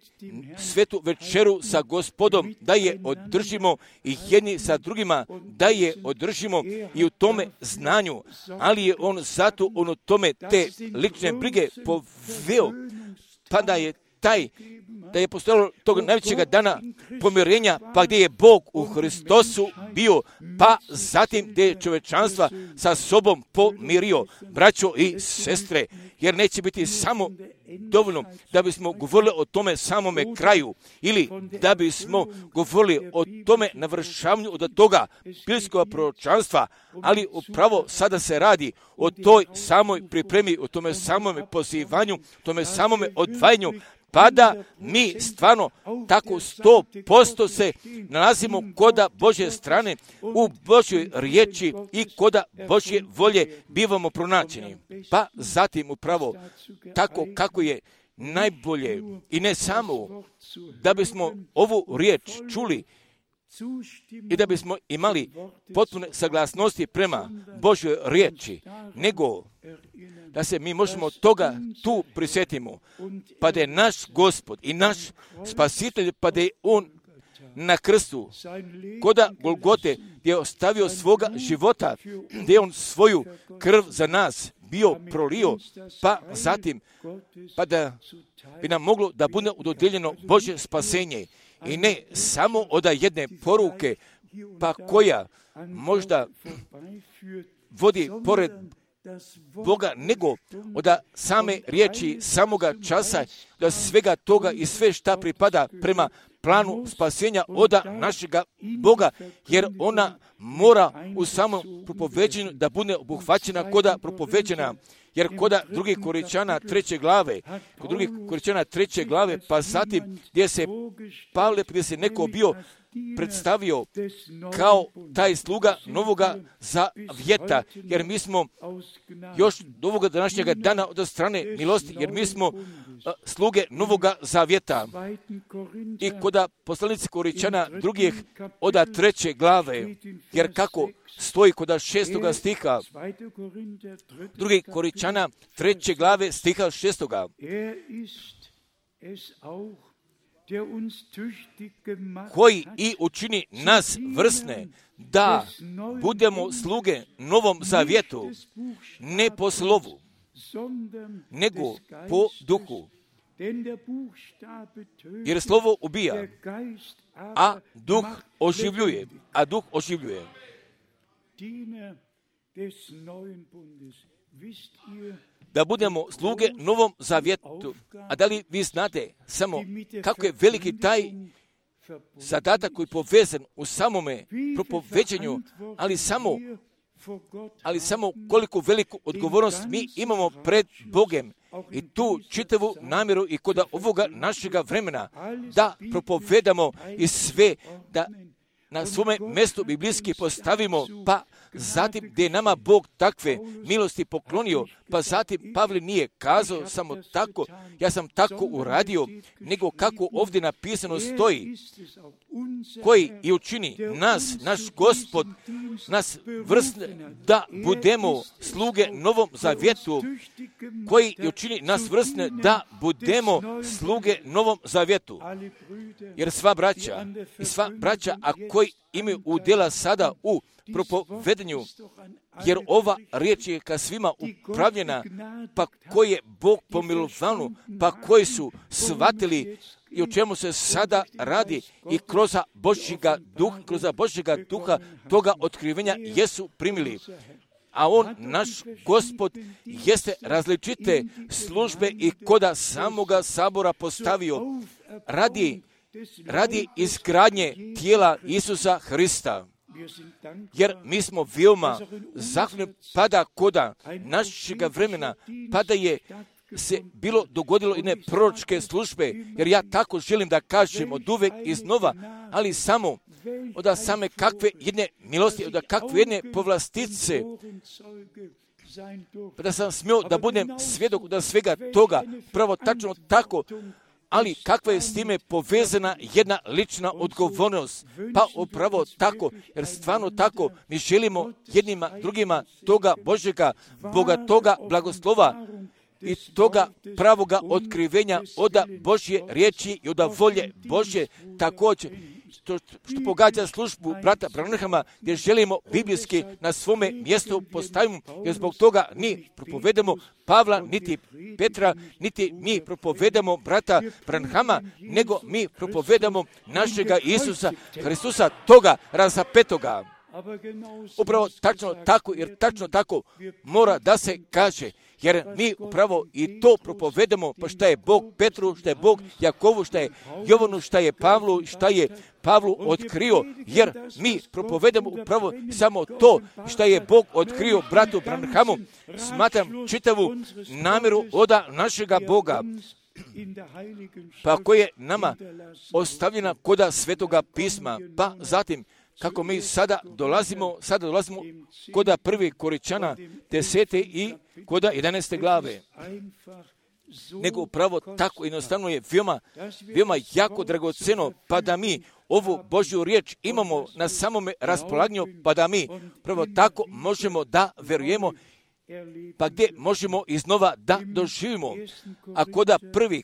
svetu večeru sa Gospodom da je održimo i jedni sa drugima da je održimo i u tome znanju, ali je on zato u tome te lične brige poveo, pa da je postojalo tog najvećega dana pomirenja, pa gdje je Bog u Hristosu bio, pa zatim gdje je čovečanstva sa sobom pomirio, braćo i sestre, jer neće biti samo dovoljno da bismo govorili o tome samome kraju ili da bismo govorili o tome navršavanju od toga biblijskog proročanstva, ali upravo sada se radi o toj samoj pripremi, o tome samome pozivanju, tome samome odvajanju, pa da mi stvarno tako 100% se nalazimo koda Božje strane u Božjoj riječi i koda Božje volje bivamo pronađeni. Pa zatim upravo tako kako je najbolje i ne samo da bismo ovu riječ čuli i da bismo imali potpune saglasnosti prema Božjoj riječi, nego da se mi možemo toga tu prisjetimo, pa da je naš Gospod i naš Spasitelj, pa da je On na krstu, koda Golgote, gdje je ostavio svoga života, gdje je On svoju krv za nas bio prolio, pa zatim, pa da bi nam moglo da bude dodijeljeno Božje spasenje. I ne samo od jedne poruke, pa koja možda vodi pored Boga, nego od same riječi, samoga časa, da svega toga i sve šta pripada prema planu spasenja od našega Boga, jer ona mora u samom propoveđenju da bude obuhvaćena koda propoveđena, jer koda drugih Korinćana 3. glave, pa zatim gdje se Pavle, gdje se neko bio predstavio kao taj sluga novoga zavjeta, jer mi smo još do ovoga današnjega dana od strane milosti, jer mi smo sluge novoga zavjeta. I koda poslanici Korinćana drugih od 3. glave, jer kako stoji koda 6. stiha, drugi Korinćana 3. glave stiha 6. koji i učini nas vrsne da budemo sluge novom zavjetu, ne po slovu, nego po duhu. Jer slovo ubija, a duh oživljuje. Da budemo sluge Novom Zavjetu. A da li vi znate samo kako je veliki taj zadatak koji je povezan u samome propoveđenju, ali samo koliko veliku odgovornost mi imamo pred Bogem i tu čitavu namjeru i kod ovoga našega vremena da propovedamo i sve da na svome mjestu biblijski postavimo, pa zatim gdje je nama Bog takve milosti poklonio, pa zatim Pavle nije kazao samo tako, ja sam tako uradio, nego kako ovdje napisano stoji, koji i učini nas, naš Gospod, nas vrsne da budemo sluge Novom Zavjetu, koji i učini nas vrsne da budemo sluge Novom Zavjetu. Jer sva braća, a koji imaju udjela sada u propovedanju, jer ova riječ je ka svima upravljena, pa koji je Bog pomilovanu, pa koji su shvatili i o čemu se sada radi i kroz Božjega duha toga otkrivenja jesu primili. A on, naš Gospod, jeste službe i koda samoga sabora postavio radi izgradnje tijela Isusa Hrista. Jer mi smo veoma zahvalni pada koda našega vremena, pada je se bilo dogodilo jedne proročke službe, jer ja tako želim da kažem od uvek iznova, ali samo od same kakve jedne milosti, od kakve jedne povlastice, da sam smio da budem svjedok od svega toga, pravo tačno tako, ali kakva je s time povezana jedna lična odgovornost? Pa upravo tako, jer stvarno tako mi želimo jednima drugima toga Božjega, Boga toga blagoslova i toga pravoga otkrivenja od Božje riječi i od volje Božje također. Što pogađa službu brata Branhama, gdje želimo biblijski na svome mjestu postavimo, jer zbog toga ni propovedamo Pavla, niti Petra, niti mi propovedamo brata Branhama, nego mi propovedamo našega Isusa Hristusa, toga razapetoga. Upravo tačno tako, jer tačno tako mora da se kaže, jer mi upravo i to propovedamo, pa šta je Bog Petru, šta je Bog Jakovu, šta je Jovanu, šta je Pavlu, šta je Pavlu otkrio, jer mi propovedamo upravo samo to šta je Bog otkrio bratu Branhamu. Smatram čitavu namjeru od našega Boga, pa koje je nama ostavljena koda Svetoga pisma, pa zatim kako mi sada dolazimo koda 1. Korinćana 10. i koda 11. glave. Nego upravo tako jednostavno je veoma jako dragoceno, pa da mi ovu Božju riječ imamo na samome raspolaganju, pa da mi prvo tako možemo da verujemo, pa gdje možemo iznova da doživimo. A koda 1.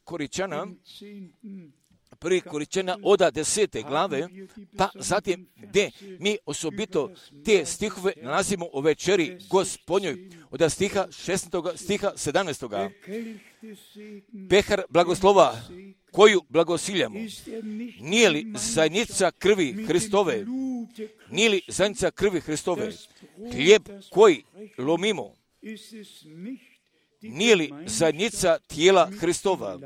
Korinćana od 10. glave, pa zatim gdje mi osobito te stihove nalazimo u večeri Gospodnjoj, od stiha 16. stiha 17. Pehar blagoslova koju blagosiljamo, nije li zajednica krvi Hristove? Nije li zajednica krvi Hristove? Hlijeb koji lomimo, nije li zajednica tijela Hristova?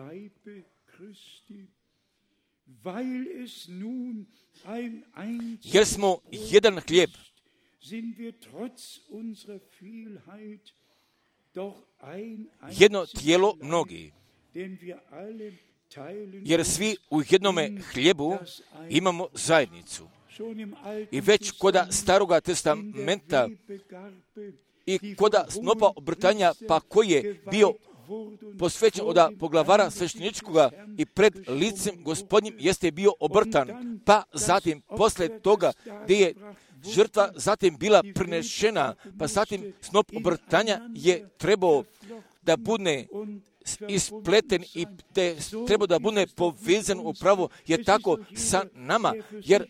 Jer smo jedan hlijeb, jedno tijelo mnogi, jer svi u jednome hlijebu imamo zajednicu. I već koda Staroga testamenta i koda snopa obrtanja, pa koji je bio posvećen od poglavara svešteničkoga i pred licem Gospodnjim jeste bio obrtan, pa zatim posle toga gdje je žrtva zatim bila prinešena, pa zatim snop obrtanja je trebao da bude ispleten i trebao da bude povezan upravo je tako sa nama, jer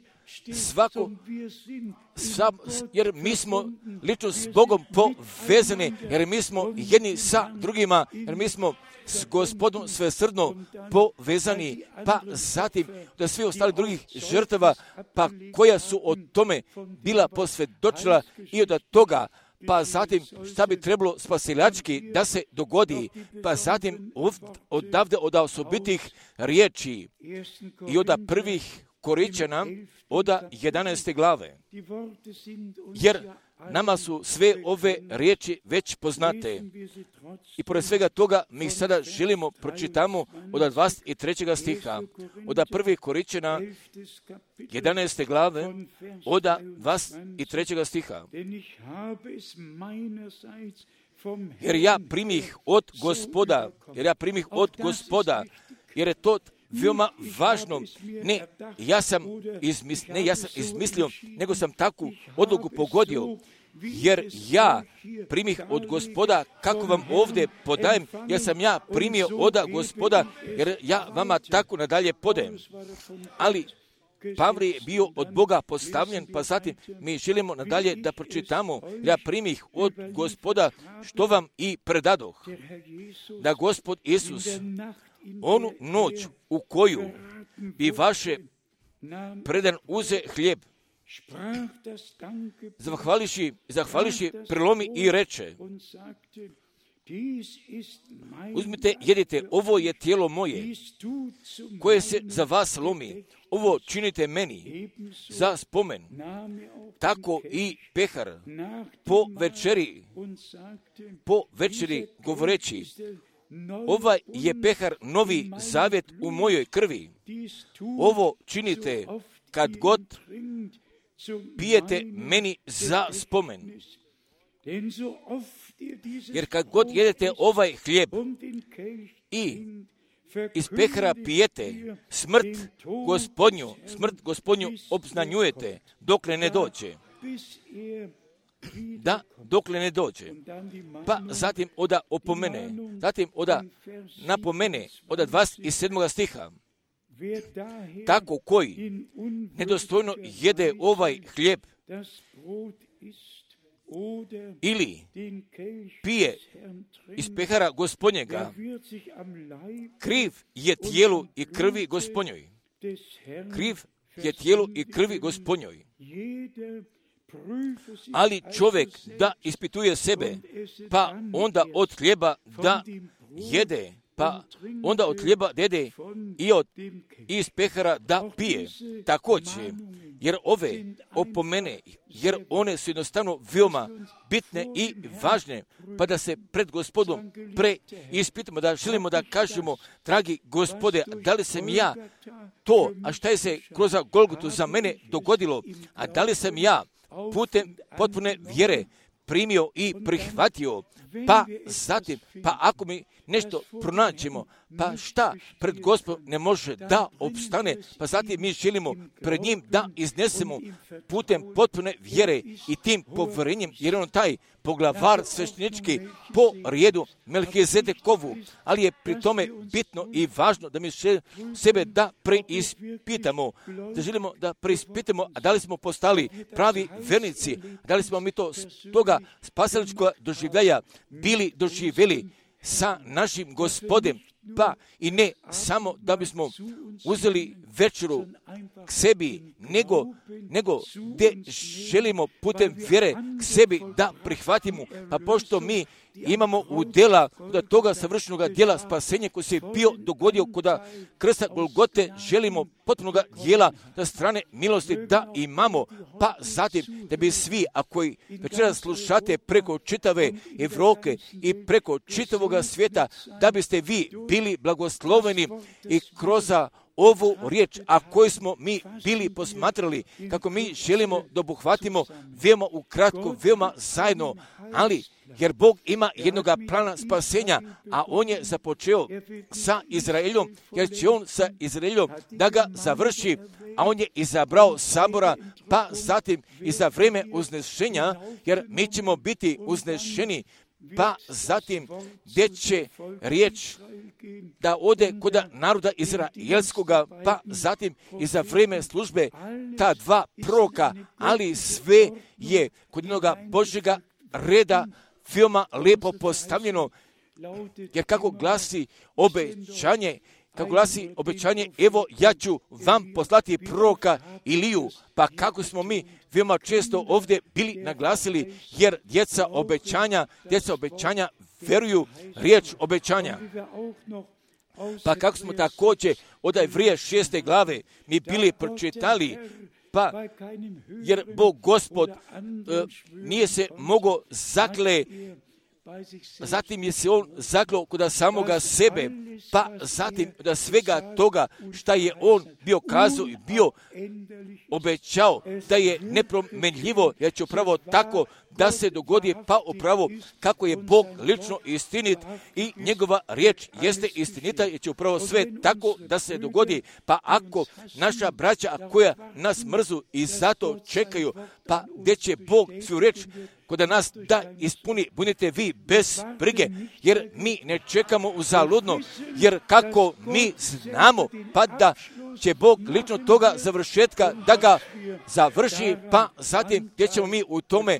jer mi smo lično s Bogom povezani, jer mi smo jedni sa drugima, jer mi smo s Gospodom svesrdno povezani, pa zatim da svi ostali drugih žrtava, pa koja su o tome bila posvjedočila i od toga, pa zatim šta bi trebalo spasilački da se dogodi, pa zatim odavde od osobitih riječi i od prvih Korinčana od 11. glave, jer nama su sve ove riječi već poznate. I pored svega toga mi ih sada želimo pročitamo od 23. stiha, od 1. Korinčana 11. glave, od 23. stiha. Jer ja primih od Gospoda, jer je to veoma važno. Ne ja sam izmislio, nego sam takvu odluku pogodio, jer ja primih od Gospoda, kako vam ovdje podajem, jer sam ja primio od Gospoda, jer ja vama tako nadalje podajem. Ali Pavle je bio od Boga postavljen, pa zatim mi želimo nadalje da pročitamo, ja primih od Gospoda što vam i predadoh, da Gospod Isus onu noć u koju bi vaše predan uze hljeb, zahvališi prelomi i reče, uzmite, jedite, ovo je tijelo moje, koje se za vas lomi, ovo činite meni za spomen. Tako i pehar po večeri govoreći, ovaj je pehar novi zavjet u mojoj krvi. Ovo činite kad god pijete meni za spomen. Jer kad god jedete ovaj hljeb i iz pehara pijete, smrt Gospodnju obznanjujete dokle ne dođe. Dokle ne dođe. Pa zatim oda opomene, napomene od 27. stiha. Tako koji nedostojno jede ovaj hljeb ili pije iz pehara Gospodnjega, kriv je tijelu i krvi Gospodnjoj. Kriv je tijelu i krvi Gospodnjoj. Ali čovjek da ispituje sebe, pa onda od hljeba da jede, pa onda od hljeba da jede i iz pehara da pije. Također, jer ove opomene, jer one su jednostavno veoma bitne i važne, pa da se pred Gospodom preispitamo, da želimo da kažemo, dragi Gospode, da li sam ja to, a šta je se kroz Golgotu za mene dogodilo, a da li sam ja putem potpune vjere primio i prihvatio, pa zatim, pa ako mi nešto pronađemo, pa šta pred Gospodom ne može da opstane, pa zatim mi želimo pred njim da iznesemo putem potpune vjere i tim povjerenjem, jer on taj poglavar sveštenički po rijedu Melkizedekovu, ali je pri tome bitno i važno da mi sebe da preispitamo, da želimo da preispitamo, a da li smo postali pravi vernici, da li smo mi to toga spasiličkog doživljaja bili doživjeli sa našim Gospodem, pa i ne samo da bismo uzeli večeru k sebi, nego gdje želimo putem vjere k sebi da prihvatimo, pa pošto mi imamo u djela od toga savršenog djela spasenja koji se bio dogodio kod krsta Golgote, želimo potpunog djela da strane milosti da imamo, pa zatim da bi svi, ako večeras slušate preko čitave Evrope i preko čitavoga svijeta, da biste vi bili blagosloveni i kroz ovu riječ, a koju smo mi bili posmatrali, kako mi želimo da obuhvatimo veoma ukratko, veoma zajedno, ali jer Bog ima jednog plana spasenja, a on je započeo sa Izraelom, jer će on sa Izraelom da ga završi, a on je izabrao sabora, pa zatim i za vrijeme uznešenja, jer mi ćemo biti uznešeni pa zatim gdje će riječ da ode kod naroda izraelskoga, pa zatim i za vrijeme službe ta dva proroka, ali sve je kod jednoga Božjega reda veoma lijepo postavljeno, jer kako glasi obećanje, evo ja ću vam poslati proroka Iliju, pa kako smo mi veoma često ovdje bili naglasili, jer djeca obećanja veruju riječ obećanja. Pa kako smo također od Evrija 6. glave mi bili pročitali, pa jer Bog Gospod nije se mogao zakle, zatim je se on zaklao kod samoga sebe, pa zatim da svega toga šta je on bio kazao i bio obećao da je nepromenljivo, jer će upravo tako da se dogodi, pa upravo kako je Bog lično istinit i njegova riječ jeste istinita, jer će upravo sve tako da se dogodi. Pa ako naša braća koja nas mrzu i zato čekaju, pa gdje će Bog svoju riječ kod nas da ispuni, budite vi bez brige, jer mi ne čekamo uzaludno, jer kako mi znamo, pa da će Bog lično toga završetka da ga završi, pa zatim gdje ćemo mi u tome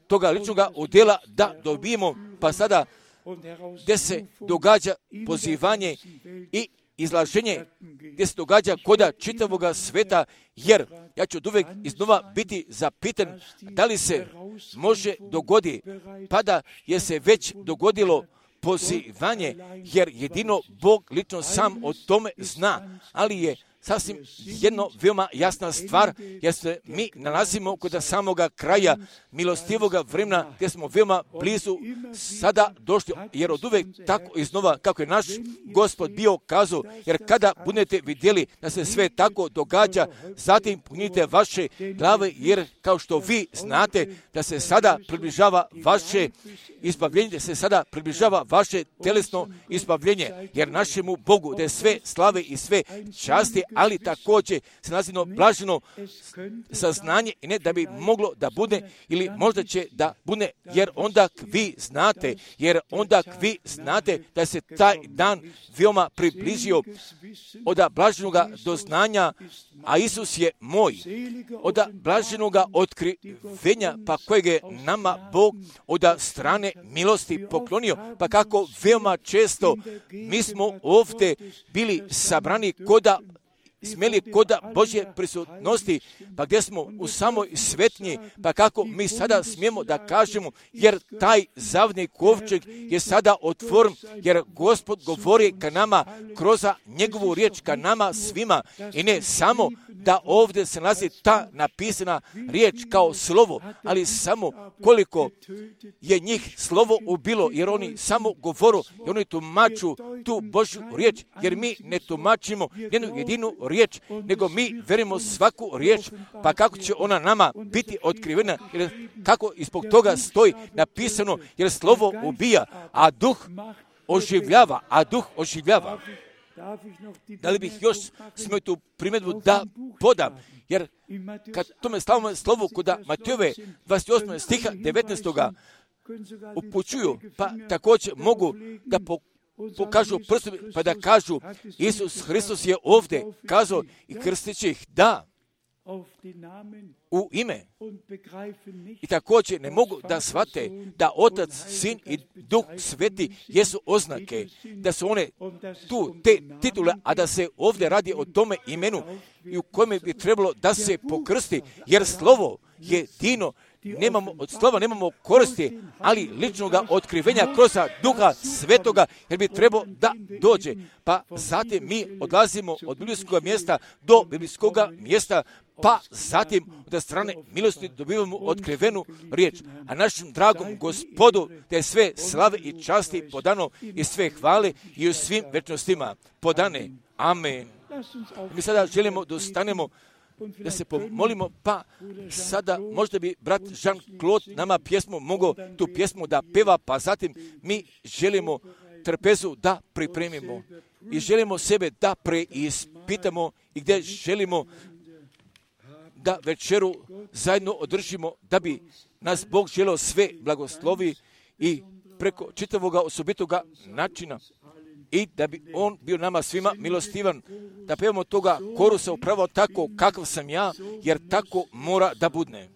toga ličnoga udjela da dobijemo, pa sada gdje se događa pozivanje i izlaženje, gdje se događa koda čitavoga sveta, jer ja ću uvijek iznova biti zapitan da li se može dogodi, pa da je se već dogodilo pozivanje, jer jedino Bog lično sam o tome zna, ali je sasvim jedno veoma jasna stvar, jer se mi nalazimo kod samoga kraja milostivoga vremena, gdje smo veoma blizu sada došli, jer od uvijek tako iznova kako je naš Gospod bio kazao, jer kada budete vidjeli da se sve tako događa, zatim punite vaše glave, jer kao što vi znate da se sada približava vaše izbavljenje, da se sada približava vaše telesno izbavljenje, jer našemu Bogu da je sve slave i sve časti, ali također se nazivno blaženo saznanje, i ne da bi moglo da bude ili možda će da bude, jer onda vi znate da se taj dan veoma približio od blaženoga doznanja, a Isus je moj, od blaženoga otkrivenja, pa kojeg je nama Bog od strane milosti poklonio, pa kako veoma često mi smo ovdje bili sabrani smjeli koda Božje prisutnosti, pa gdje smo u samoj svetnji, pa kako mi sada smijemo da kažemo, jer taj zavni kovčeg je sada otvoren, jer Gospod govori ka nama kroz njegovu riječ, ka nama svima, i ne samo da ovdje se nalazi ta napisana riječ kao slovo, ali samo koliko je njih slovo ubilo, jer oni samo govoru i oni tumaču tu Božju riječ, jer mi ne tumačimo jednu jedinu riječ, nego mi verimo svaku riječ, pa kako će ona nama biti otkrivena, jer kako ispod toga stoji napisano, jer slovo ubija, a duh oživljava. Da li bih još smio tu primjedbu da podam, jer kad tome slavimo slovu kod Matejove 28. stiha 19. upućuju, pa također mogu da pokažu prstom, pa da kažu Isus Hristos je ovdje kazao i krstit će ih u ime. I također ne mogu da shvate da Otac, Sin i Duh Sveti jesu oznake, da su one tu te titule, a da se ovdje radi o tome imenu i u kojem bi trebalo da se pokrsti, jer slovo je jedino. Od slova nemamo koristi, ali ličnoga otkrivenja kroz Duha Svetoga, jer bi trebao da dođe. Pa zatim mi odlazimo od biblijskog mjesta do biblijskog mjesta, pa zatim od strane milosti dobivamo otkrivenu riječ. A našem dragom Gospodu da je sve slave i časti podano i sve hvale i u svim večnostima podane. Amen. Mi sada želimo da ostanemo, da se pomolimo, pa sada možda bi brat Jean-Claude nama mogao tu pjesmu da peva, pa zatim mi želimo trpezu da pripremimo i želimo sebe da preispitamo i gdje želimo da večeru zajedno održimo, da bi nas Bog želeo sve blagoslovi i preko čitavoga osobitoga načina i da bi on bio nama svima milostivan, da pevamo toga korusa upravo tako kakav sam ja, jer tako mora da budne.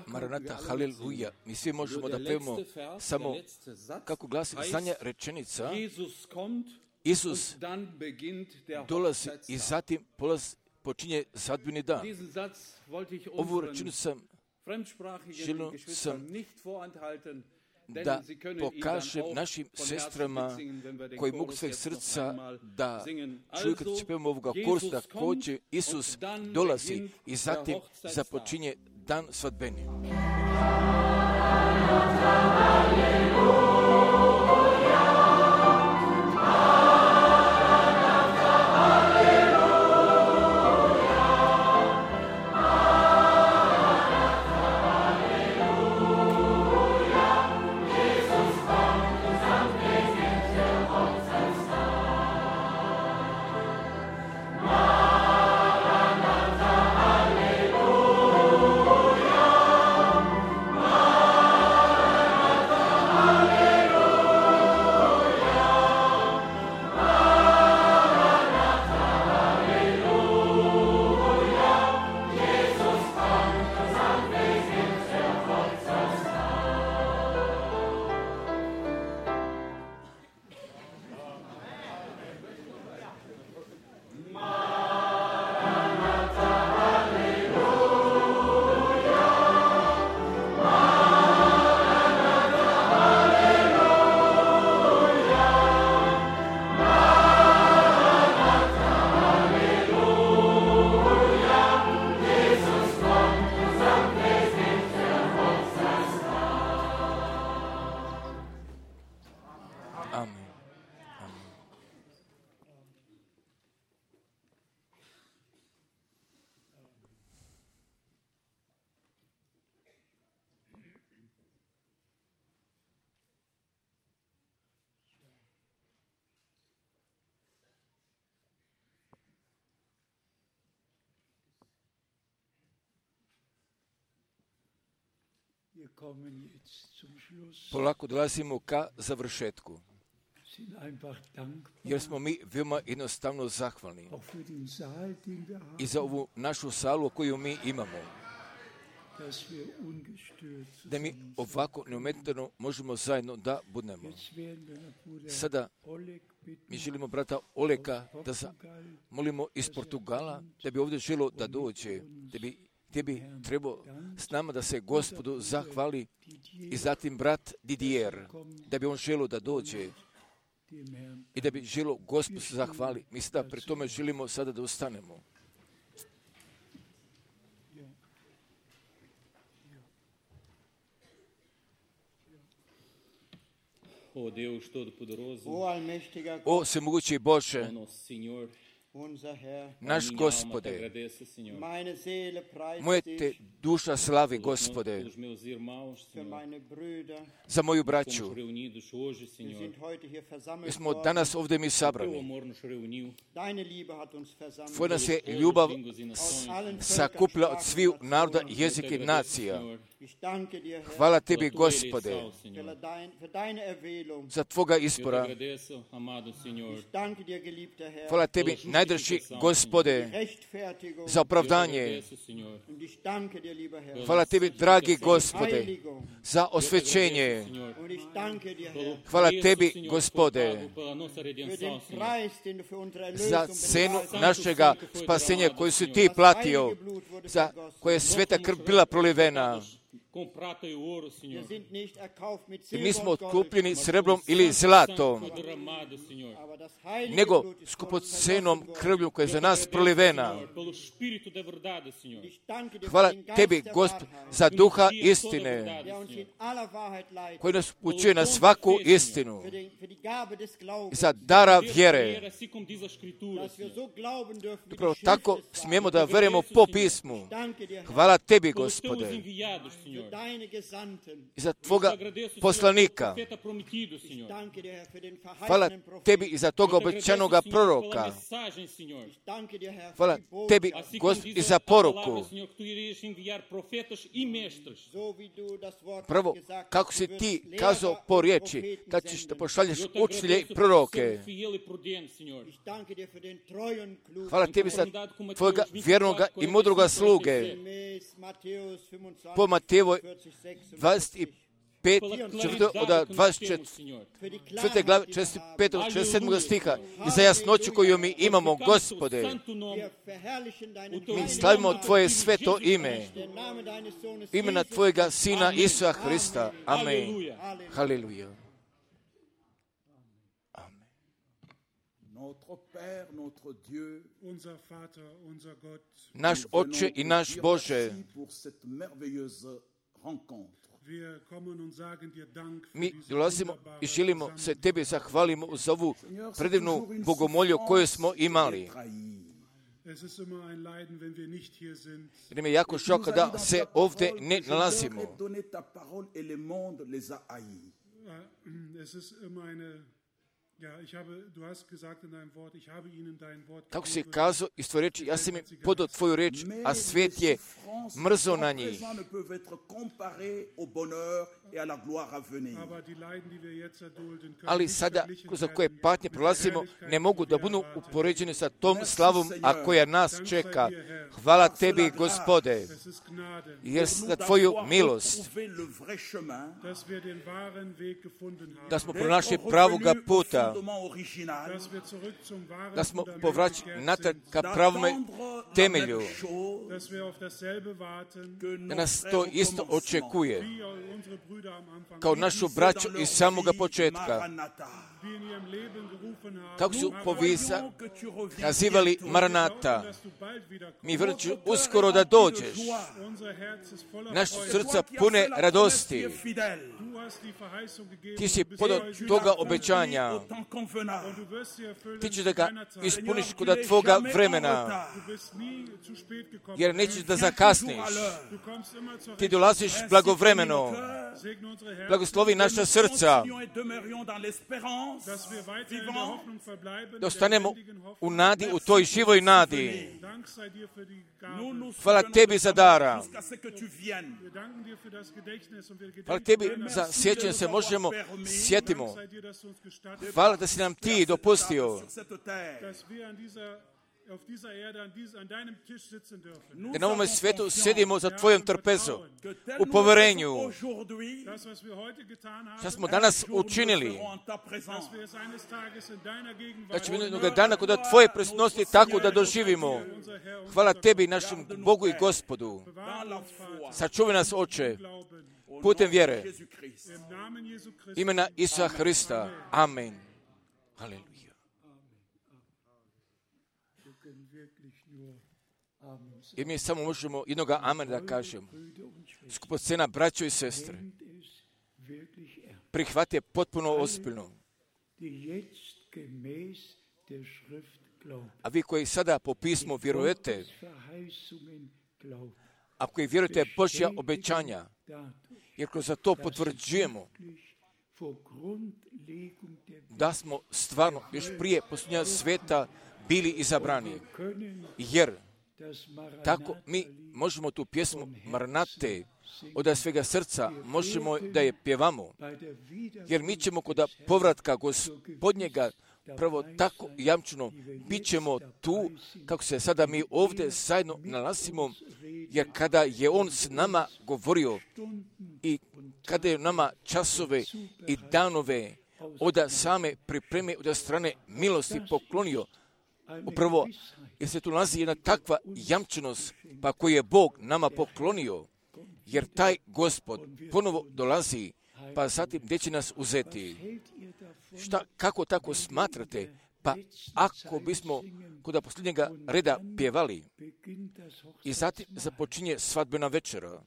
Maranata, haleluja. Mi svi možemo da pevamo samo kako glasi zadnja rečenica. Isus dolazi i zatim počinje zadbini dan. Ovu rečenicu želio sam da pokažem našim sestrama koji mogu svojeg srca da čuju kad će pevamo ovoga kursa, također Isus dolazi i zatim započinje dan svadbeni. Polako dolazimo ka završetku, jer smo mi veoma jednostavno zahvalni i za ovu našu salu koju mi imamo, da mi ovako neometano možemo zajedno da budemo. Sada mi želimo brata Oleka da molimo iz Portugala, da bi ovdje želo da dođe, gdje bi trebao s nama da se Gospodu zahvali, i zatim brat Didier, da bi on želo da dođe i da bi želo Gospodu se zahvali. Mi sada pri tome želimo sada da ustanemo. O svemogući Bože, naš Gospode, moja te duša slavi, Gospode, za moju braću. Mi smo danas ovdje mi sabrani. Tvoja nas je ljubav sakupila od svih naroda, jezika i nacija. Hvala tebi, Gospode, za tvoga izbora. Hvala tebi, najdraži Gospode, za opravdanje. Hvala tebi, dragi Gospode, za osvećenje. Hvala tebi, Gospode, za cenu našega spasenja koju si ti platio, za koje je sveta krv bila prolivena. I mi smo otkupljeni srebrom ili zlatom, nego skupocenom krvlju koja je za nas prolivena. Hvala tebi, Gospod, za duha istine, koji nas upućuje na svaku istinu, za dara vjere. Upravo tako smijemo da verujemo po pismu. Hvala tebi, Gospode. i za Tvoga poslanika. Hvala Tebi i za toga obećanoga proroka. Hvala Tebi i za poruku. Prvo, kako si Ti kazao po riječi, da ćeš da pošalješ učitelje i proroke. Hvala Tebi za Tvojega vjernoga i mudroga sluge. Po Matejevoj 25, 4. od 24. glave 45. 47. stiha i za jasnoću koju mi imamo, Gospode, mi slavimo Tvoje sveto ime, imena Tvojega Sina Isusa Hrista. Amen. Haleluja. Naš Oče i naš Bože, mi dolazimo i želimo se Tebi zahvalimo za ovu predivnu bogomolju koju smo imali. Jer nam je jako šok da se ovdje ne nalazimo. Kako si kazao iz tvoje reči, ja sam im podao Tvoju reč, a svijet je mrzo na njih. Ali sada, za koje patnje prolazimo, ne mogu da budu upoređeni sa tom slavom, a koja nas čeka. Hvala Tebi, Gospode, jer za Tvoju milost, da smo pronašli pravoga puta, da smo povraćeni natrag ka pravome temelju, da nas to isto očekuje, kao našu braću iz samoga početka. Kako su nazivali Maranata, mi vrću uskoro da dođeš. Naš srca pune radosti. Ti si podao toga obećanja. Ti ćeš da ga ispuniš kod Tvoga vremena, jer nećeš da zakasniš. Ti dolaziš blagovremeno. Blagoslovi naša srca, da ostanemo u nadi, u toj živoj nadi. Hvala Tebi za dara. Hvala Tebi za sjećanje se možemo sjetimo. Hvala da si nam Ti dopustio da na ovome svijetu sjedimo za Tvojom trpezom, u poverenju. Što smo danas učinili, da ćemo jednog dana kod Tvoje prisutnosti tako da doživimo. Hvala Tebi, našem Bogu i Gospodu. Sačuvaj nas, Oče, putem vjere. Imena Isusa Hrista. Amen. Haleluja. I mi samo možemo jednoga amen da kažemo. Skupocena, braćo i sestre, prihvate potpuno ozbiljno. A vi koji sada po pismu vjerujete, a koji vjerujete Božja obećanja, jer kroz to potvrđujemo da smo stvarno još prije posljednja sveta bili izabrani. Jer tako mi možemo tu pjesmu Maranate od svega srca možemo da je pjevamo. Jer mi ćemo kod povratka Gospodnjega prvo tako jamčeno bit ćemo tu kako se sada mi ovdje zajedno nalazimo, jer kada je On s nama govorio i kada je nama časove i danove od same pripreme od strane milosti poklonio, upravo jer se tu nalazi jedna takva jamčenost pa koju je Bog nama poklonio, jer taj Gospod ponovo dolazi, pa zatim gdje će nas uzeti. Kako tako smatrate? Pa ako bismo kod posljednjega reda pjevali i zatim započinje svadbena večera.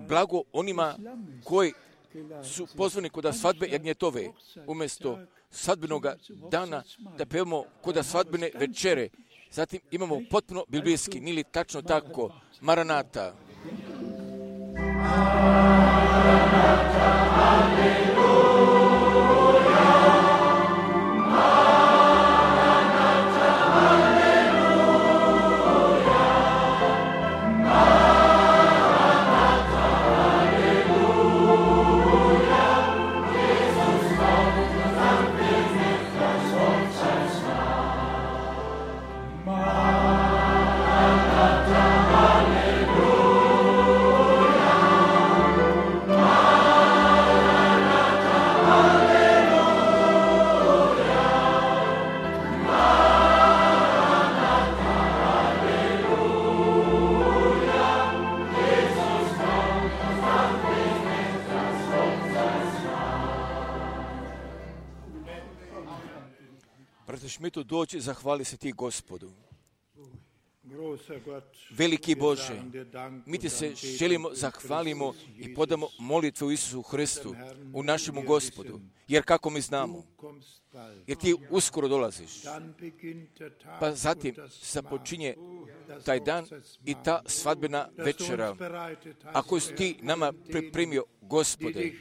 Blago onima koji su pozvani kod svadbe jagnjetove, umjesto svadbenog dana da pevamo kod svadbene večere, Zatim imamo potpuno biblijski, nije li tačno tako, Maranata. Šmitu, doći, zahvali se ti Gospodu. Veliki Bože, mi ti se želimo, zahvalimo i podamo molitvu Isusu Hristu, u našemu Gospodu. Jer kako mi znamo, jer ti uskoro dolaziš, pa zatim započinje taj dan i ta svadbena večera, a koju si ti nama pripremio, Gospode,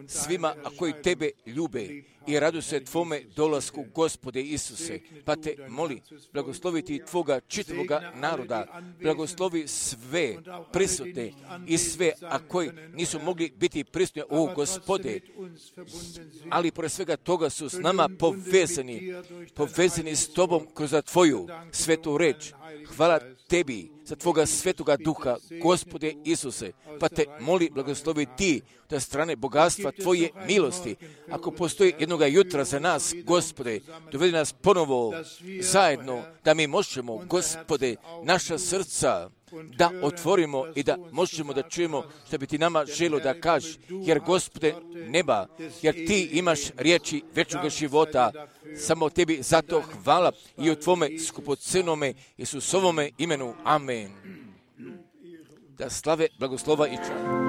svima a koji tebe ljube i radu se tvome dolasku, Gospode Isuse, pa te moli, blagoslovi ti tvoga čitavoga naroda, blagoslovi sve prisutne i sve a koji nisu mogli biti prisutni, o Gospode, ali pored svega toga su s nama povezani s tobom kroz tvoju svetu reč. Hvala tebi za tvoga svetoga duha, Gospode Isuse, pa te moli, blagoslovi ti da strane bogatstva tvoje milosti, ako postoji jednoga jutra za nas, Gospode, dovedi nas ponovo zajedno, da mi možemo, Gospode, naša srca da otvorimo i da možemo da čujemo što bi ti nama želo da kaži, jer Gospode neba, jer ti imaš riječi večnoga života, samo tebi zato hvala i u tvome skupocenome Isusovome imenu. Amen. Da slave, blagoslova i čast.